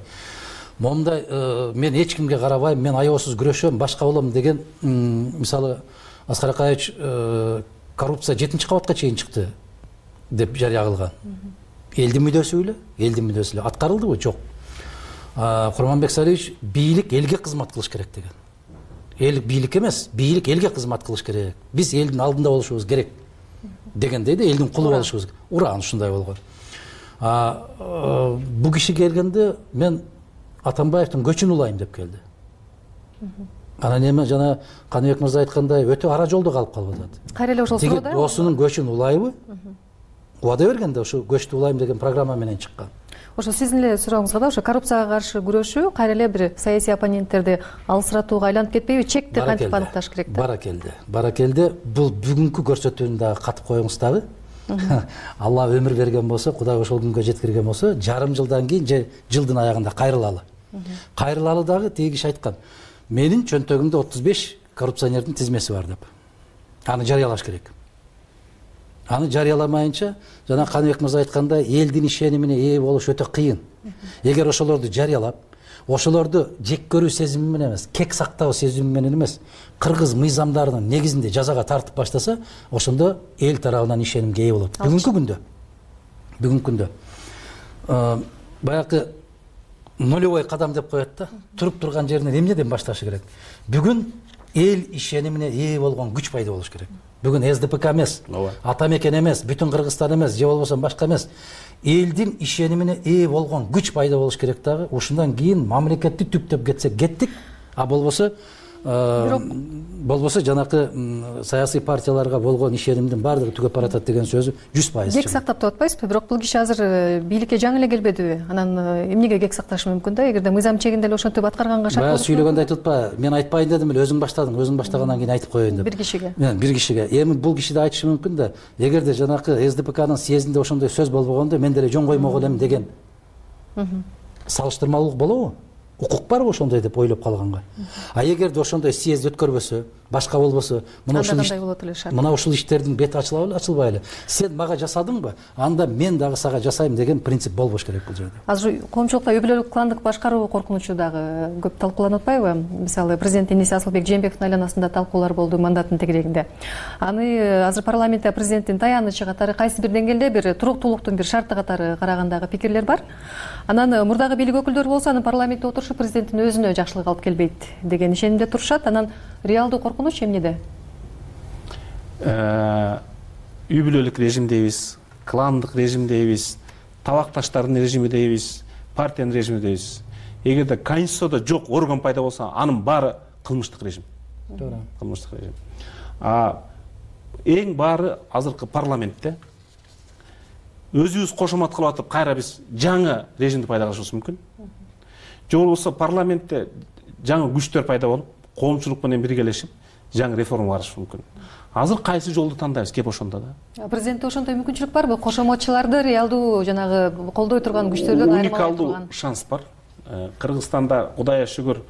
Момундай мен эч кимге карабайм, мен аябасыз күрөшөм, башка болом деген, мисалы Аскар Акаевич коррупция жетинчи кабатка чейин чыкты деп жарыя кылган. Элдин мүдөсү эле, элдин мүдөсү эле аткарылдыбы? Жок. Курманбек Салиевич бийлик элге кызмат кылыш керек деген. Эл бийлик эмес, бийлик элге кызмат кылыш керек. Биз элдин алдында болушубуз керек дегендей да, элдин кулу болушубуз. Уран ушундай болгон. Бу киши келгенде мен Атамбаевдин көчүн улайм деп келди. Анан эми жана Каныбек мырза айткандай өтө ара жолдо калып калып атат. Кайра эле ошол суроодо досунун көчүн улайбы? Убада бергенде ошо көчтү улайм деген программа менен чыккан. Ошо сиздин эле сурооңузга да, ошо коррупцияга каршы күрөшүү кайра эле бир саясий оппоненттерди алысыратууга айланып кетпейби? Чекти кантип аныкташ керек да? Баракелде. Баракелде. Бул бүгүнкү көрсөтүүнү дагы катып коюңуз дагы. Алла өмүр берген болсо, Кудай ошол күнгө жеткирген болсо, жарым жылдан кийин же жылдын аягында кайрылалы. Кайрылалы дагы тиги киши айткан. Менин чөнтөгүмдө отуз беш коррупционердин тизмеси бар деп. Аны жарыялаш керек. Аны жарыяламайынча, жана Каныбек мырза айткандай, элдин ишенимине ээ болуш өтө кыйын. Эгер ошолорду жарыялап, ошолорду жек көрүү сезими менен эмес, кек сактоо сезими менен эмес, кыргыз мыйзамдарынын негизинде жазага тартып баштаса, ошондо эл тарабынан ишенимге ээ болот. Бүгүнкү күндө. Бүгүнкү күндө. Баягы нулевой кадам деп коет да. Туруп турган жеринен эмнеден башташы керек? Бүгүн эл ишенимине ээ болгон күч пайда болуш керек. бүгүн эс ди пэ ка эмес, ата мекен эмес, бүтүн Кыргызстан эмес, же болбосо башка эмес, элдин ишенимине ээ болгон күч пайда болуш керек дагы. Ушундан кийин мамлекетти түптөп кетсек кеттик, а болбосо болбосо жанакы саясий партияларга болгон ишенимдин баардыгы түгөп баратат деген сөзү жүз пайыз кек сактап деп атпайсызбы? Бирок бул киши азыр бийликке жаңы эле келбедиби? Анан эмнеге кек сакташы мүмкүн да? Эгерде мыйзам чегинде эле ошентип аткарганга шарт болсо. Баягы сүйлөгөндө айтып атпа, мен айтпайын дедим эле, өзүң баштадың, өзүң баштагандан кийин айтып коеюн деп. Бир кишиге. Мен бир кишиге. Эми бул киши да айтышы мүмкүн да, эгерде жанакы эс ди пэ канын съездинде ошондой сөз болбогондо мен деле жөн коймок элем деген салыштырмалуулук болобу? Укук барбы ошондой деп ойлоп калганга? А эгерде ошондой съезд өткөрбөсө, башка болбосо, мына ушул мына ушул иштердин бети ачылабы, ачылбайлы? Сен мага жасадыңбы? Анда мен дагы сага жасайм деген принцип болбош керек бул жерде. Азыр коомчулукта үй бүлөлүк кландык башкаруу коркунучу дагы көп талкууланып атпайбы? Мисалы, президенттин иниси Асылбек Жээнбековдун айланасында талкуулар болду мандаттын тегерегинде. Аны азыр парламентте президенттин таянычы катары кайсы бир деңгээлде бир туруктуулуктун бир шарты катары карагандагы пикирлер бар. Анан мурдагы бийлик өкүлдөрү болсо аны парламентте отурушу президенттин өзүнө жакшылык алып келбейт деген ишенимде турушат. Анан реалдуу коркунуч эмнеде? Үй бүлөлүк режимдейбиз, кландык режимдейбиз, табакташтардын режими дейбиз, партиянын режими дейбиз. Эгерде конституцияда жок орган пайда болсо, анын баары кылмыштык режим. Туура. Кылмыштык режим. А эң баары азыркы парламентте өзүбүз кошомат кылып атып, кайра биз жаңы режимди пайда кылышыбыз мүмкүн. Же болбосо парламентте жаңы күчтөр пайда болуп, коомчулук менен биргелешип, жаңы реформа барышы мүмкүн. Азыр кайсы жолду тандайбыз, кеп ошондо да. Президентте ошондой мүмкүнчүлүк барбы? Кошоматчыларды реалдуу жанагы колдой турган күчтөрдөн айырмалай турган. Уникалдуу шанс бар. Кыргызстанда Кудайга шүгүр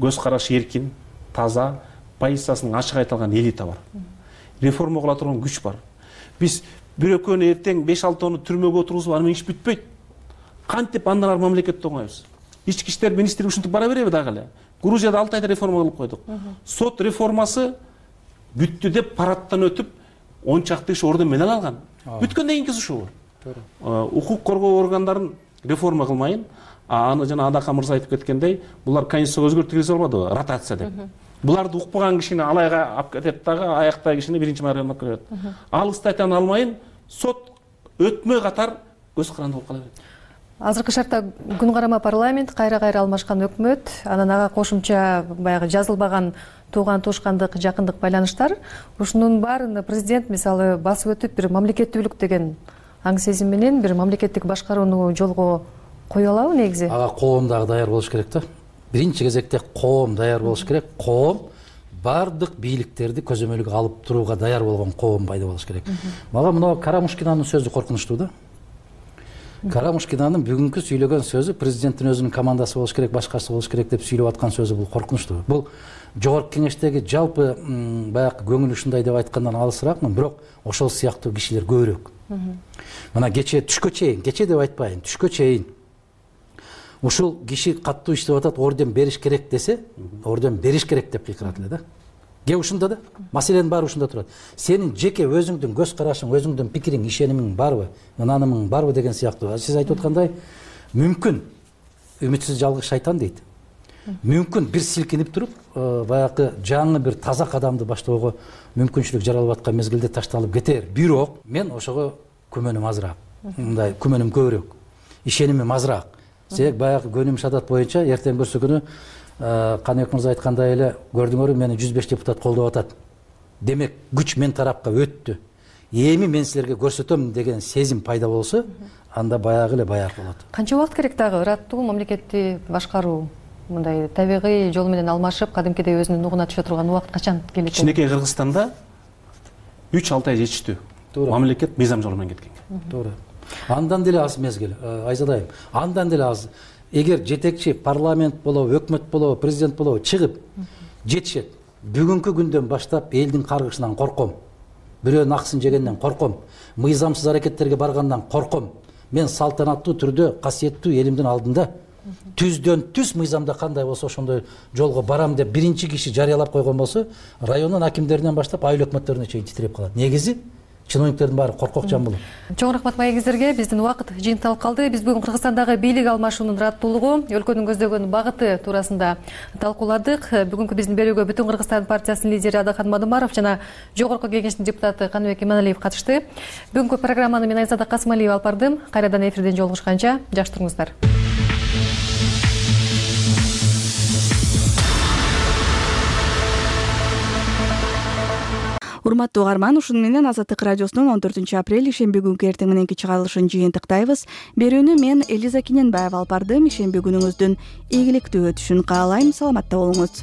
көз карашы эркин, таза, позициясын ачык айта алган элита бар. Реформа кыла турган күч бар. Биз бир экөөнү эртең беш алтоону түрмөгө отургузуп, аны менен иш бүтпөйт. Кантип андан ары мамлекетти оңойбуз? Ички иштер министри ушинтип бара береби дагы эле? Грузияда алты айда реформа кылып койдук. Сот реформасы бүттү деп парадтан өтүп, он чакты иш орден менен алган. Бүткөндөн кийинки ушул. Укук коргоо органдарын реформа кылмайын, аны жана Адака мырза айтып кеткендей, булар конституцияга өзгөртүү киргизе албадыбы? Ротация деп. Буларды укпаган кишини алайга алып кетет дагы, аяктагы кишини биринчи мэрияга алып кетет. Ал статьяны алмайын, сот өтмөй катар көз каранды болуп кала берет. Азыркы шартта күн карама парламент, кайра-кайра алмашкан өкмөт, анан ага кошумча баягы жазылбаган тууган туушкандык, жакындык байланыштар. Ушунун баарын президент мисалы басып өтүп, бир мамлекеттүүлүк деген аң сезим менен бир мамлекеттик башкарууну жолго кое алабы негизи? Ага коом дагы даяр болуш керек да. Биринчи кезекте коом даяр болуш керек. Коом бардык бийликтерди көзөмөлгө алып турууга даяр болгон коом пайда болуш керек. Мага мына Карамушкинанын сөзү коркунучтуу да. Карамушкинанын бүгүнкү сүйлөгөн сөзү президенттин өзүнүн командасы болуш керек, башкасы болуш керек деп сүйлөп аткан сөзү бул коркунучтуу. Бул жогорку кеңештеги жалпы баягы көңүл ушундай деп айткандан алысыраакмын, бирок ошол сыяктуу кишилер көбүрөөк. Мына кечээ түшкө чейин, кечээ деп айтпайын, түшкө чейин ушул киши каттуу иштеп атат, орден бериш керек десе, орден бериш керек деп кыйкырат эле да. Ге ушунда да, маселенин баары ушунда турат. Сенин жеке өзүңдүн көз карашың, өзүңдүн пикириң, ишенимиң барбы, ынанымың барбы деген сыяктуу. Сиз айтып аткандай, мүмкүн үмүтсүз жалгыз шайтан дейт. Мүмкүн бир силкинип туруп, баягы жаңы бир таза кадамды баштоого мүмкүнчүлүк жаралып аткан мезгилде ташталып кетер. Бирок мен ошого күмөнүм азыраак. Мындай күмөнүм көбүрөөк. Ишенимим азыраак. Себеп баягы көнүм шадат боюнча эртең көрсө күнү Каныбек мырза айткандай эле, көрдүңөрбү, мени жүз беш депутат колдоп атат. Демек, күч мен тарапка өттү. Эми мен силерге көрсөтөм деген сезим пайда болсо, анда баягы эле баяр болот. Канча убакыт керек дагы ыраттуу мамлекетти башкаруу? Мындай табигый жол менен алмашып, кадимкидей өзүнүн нугуна түшө турган убакыт качан келет? Кичинекей Кыргызстанда үч алты ай жетиштүү. Мамлекет мыйзам жолу менен кеткен. Туура. Андан деле аз мезгил, Айзадайым. Андан деле аз. Эгер жетекчи парламент болобу, өкмөт болобу, президент болобу чыгып жетишет. Бүгүнкү күндөн баштап элдин каргышынан корком. Бирөөнүн акысын жегенден корком. Мыйзамсыз аракеттерге баргандан корком. Мен салтанаттуу түрдө касиеттүү элимдин алдында түздөн түз мыйзамда кандай болсо ошондой жолго барам деп биринчи киши жарыялап койгон болсо, райондун акимдеринен баштап айыл өкмөттөрүнө чейин титиреп калат. Негизи чиновниктердин баары коркок жан болот. Чоң рахмат маегиңиздерге. Биздин убакыт жыйынталып калды. Биз бүгүн Кыргызстандагы бийлик алмашуунун ыраттуулугу, өлкөнүн көздөгөн багыты туурасында талкууладык. Бүгүнкү биздин берүүгө Бүтүн Кыргызстан партиясынын лидери Адахан Мадымаров жана Жогорку Кеңештин депутаты Каныбек Иманалиев катышты. Бүгүнкү программаны мен Айзада Касымалиева алып бардым. Кайрадан эфирден жолугушканча жакшы туруңуздар. Урматтуу угарман, ушуну менен Азаттык радиосунун он төртүнчү апрель ишемби күнкү эртең мененки чыгарылышын жыйынтыктайбыз. Берүүнү мен Элиза Киненбаева алып бардым. Ишемби күнүңүздүн ийгиликтүү өтүшүн каалайм. Саламатта болуңуз.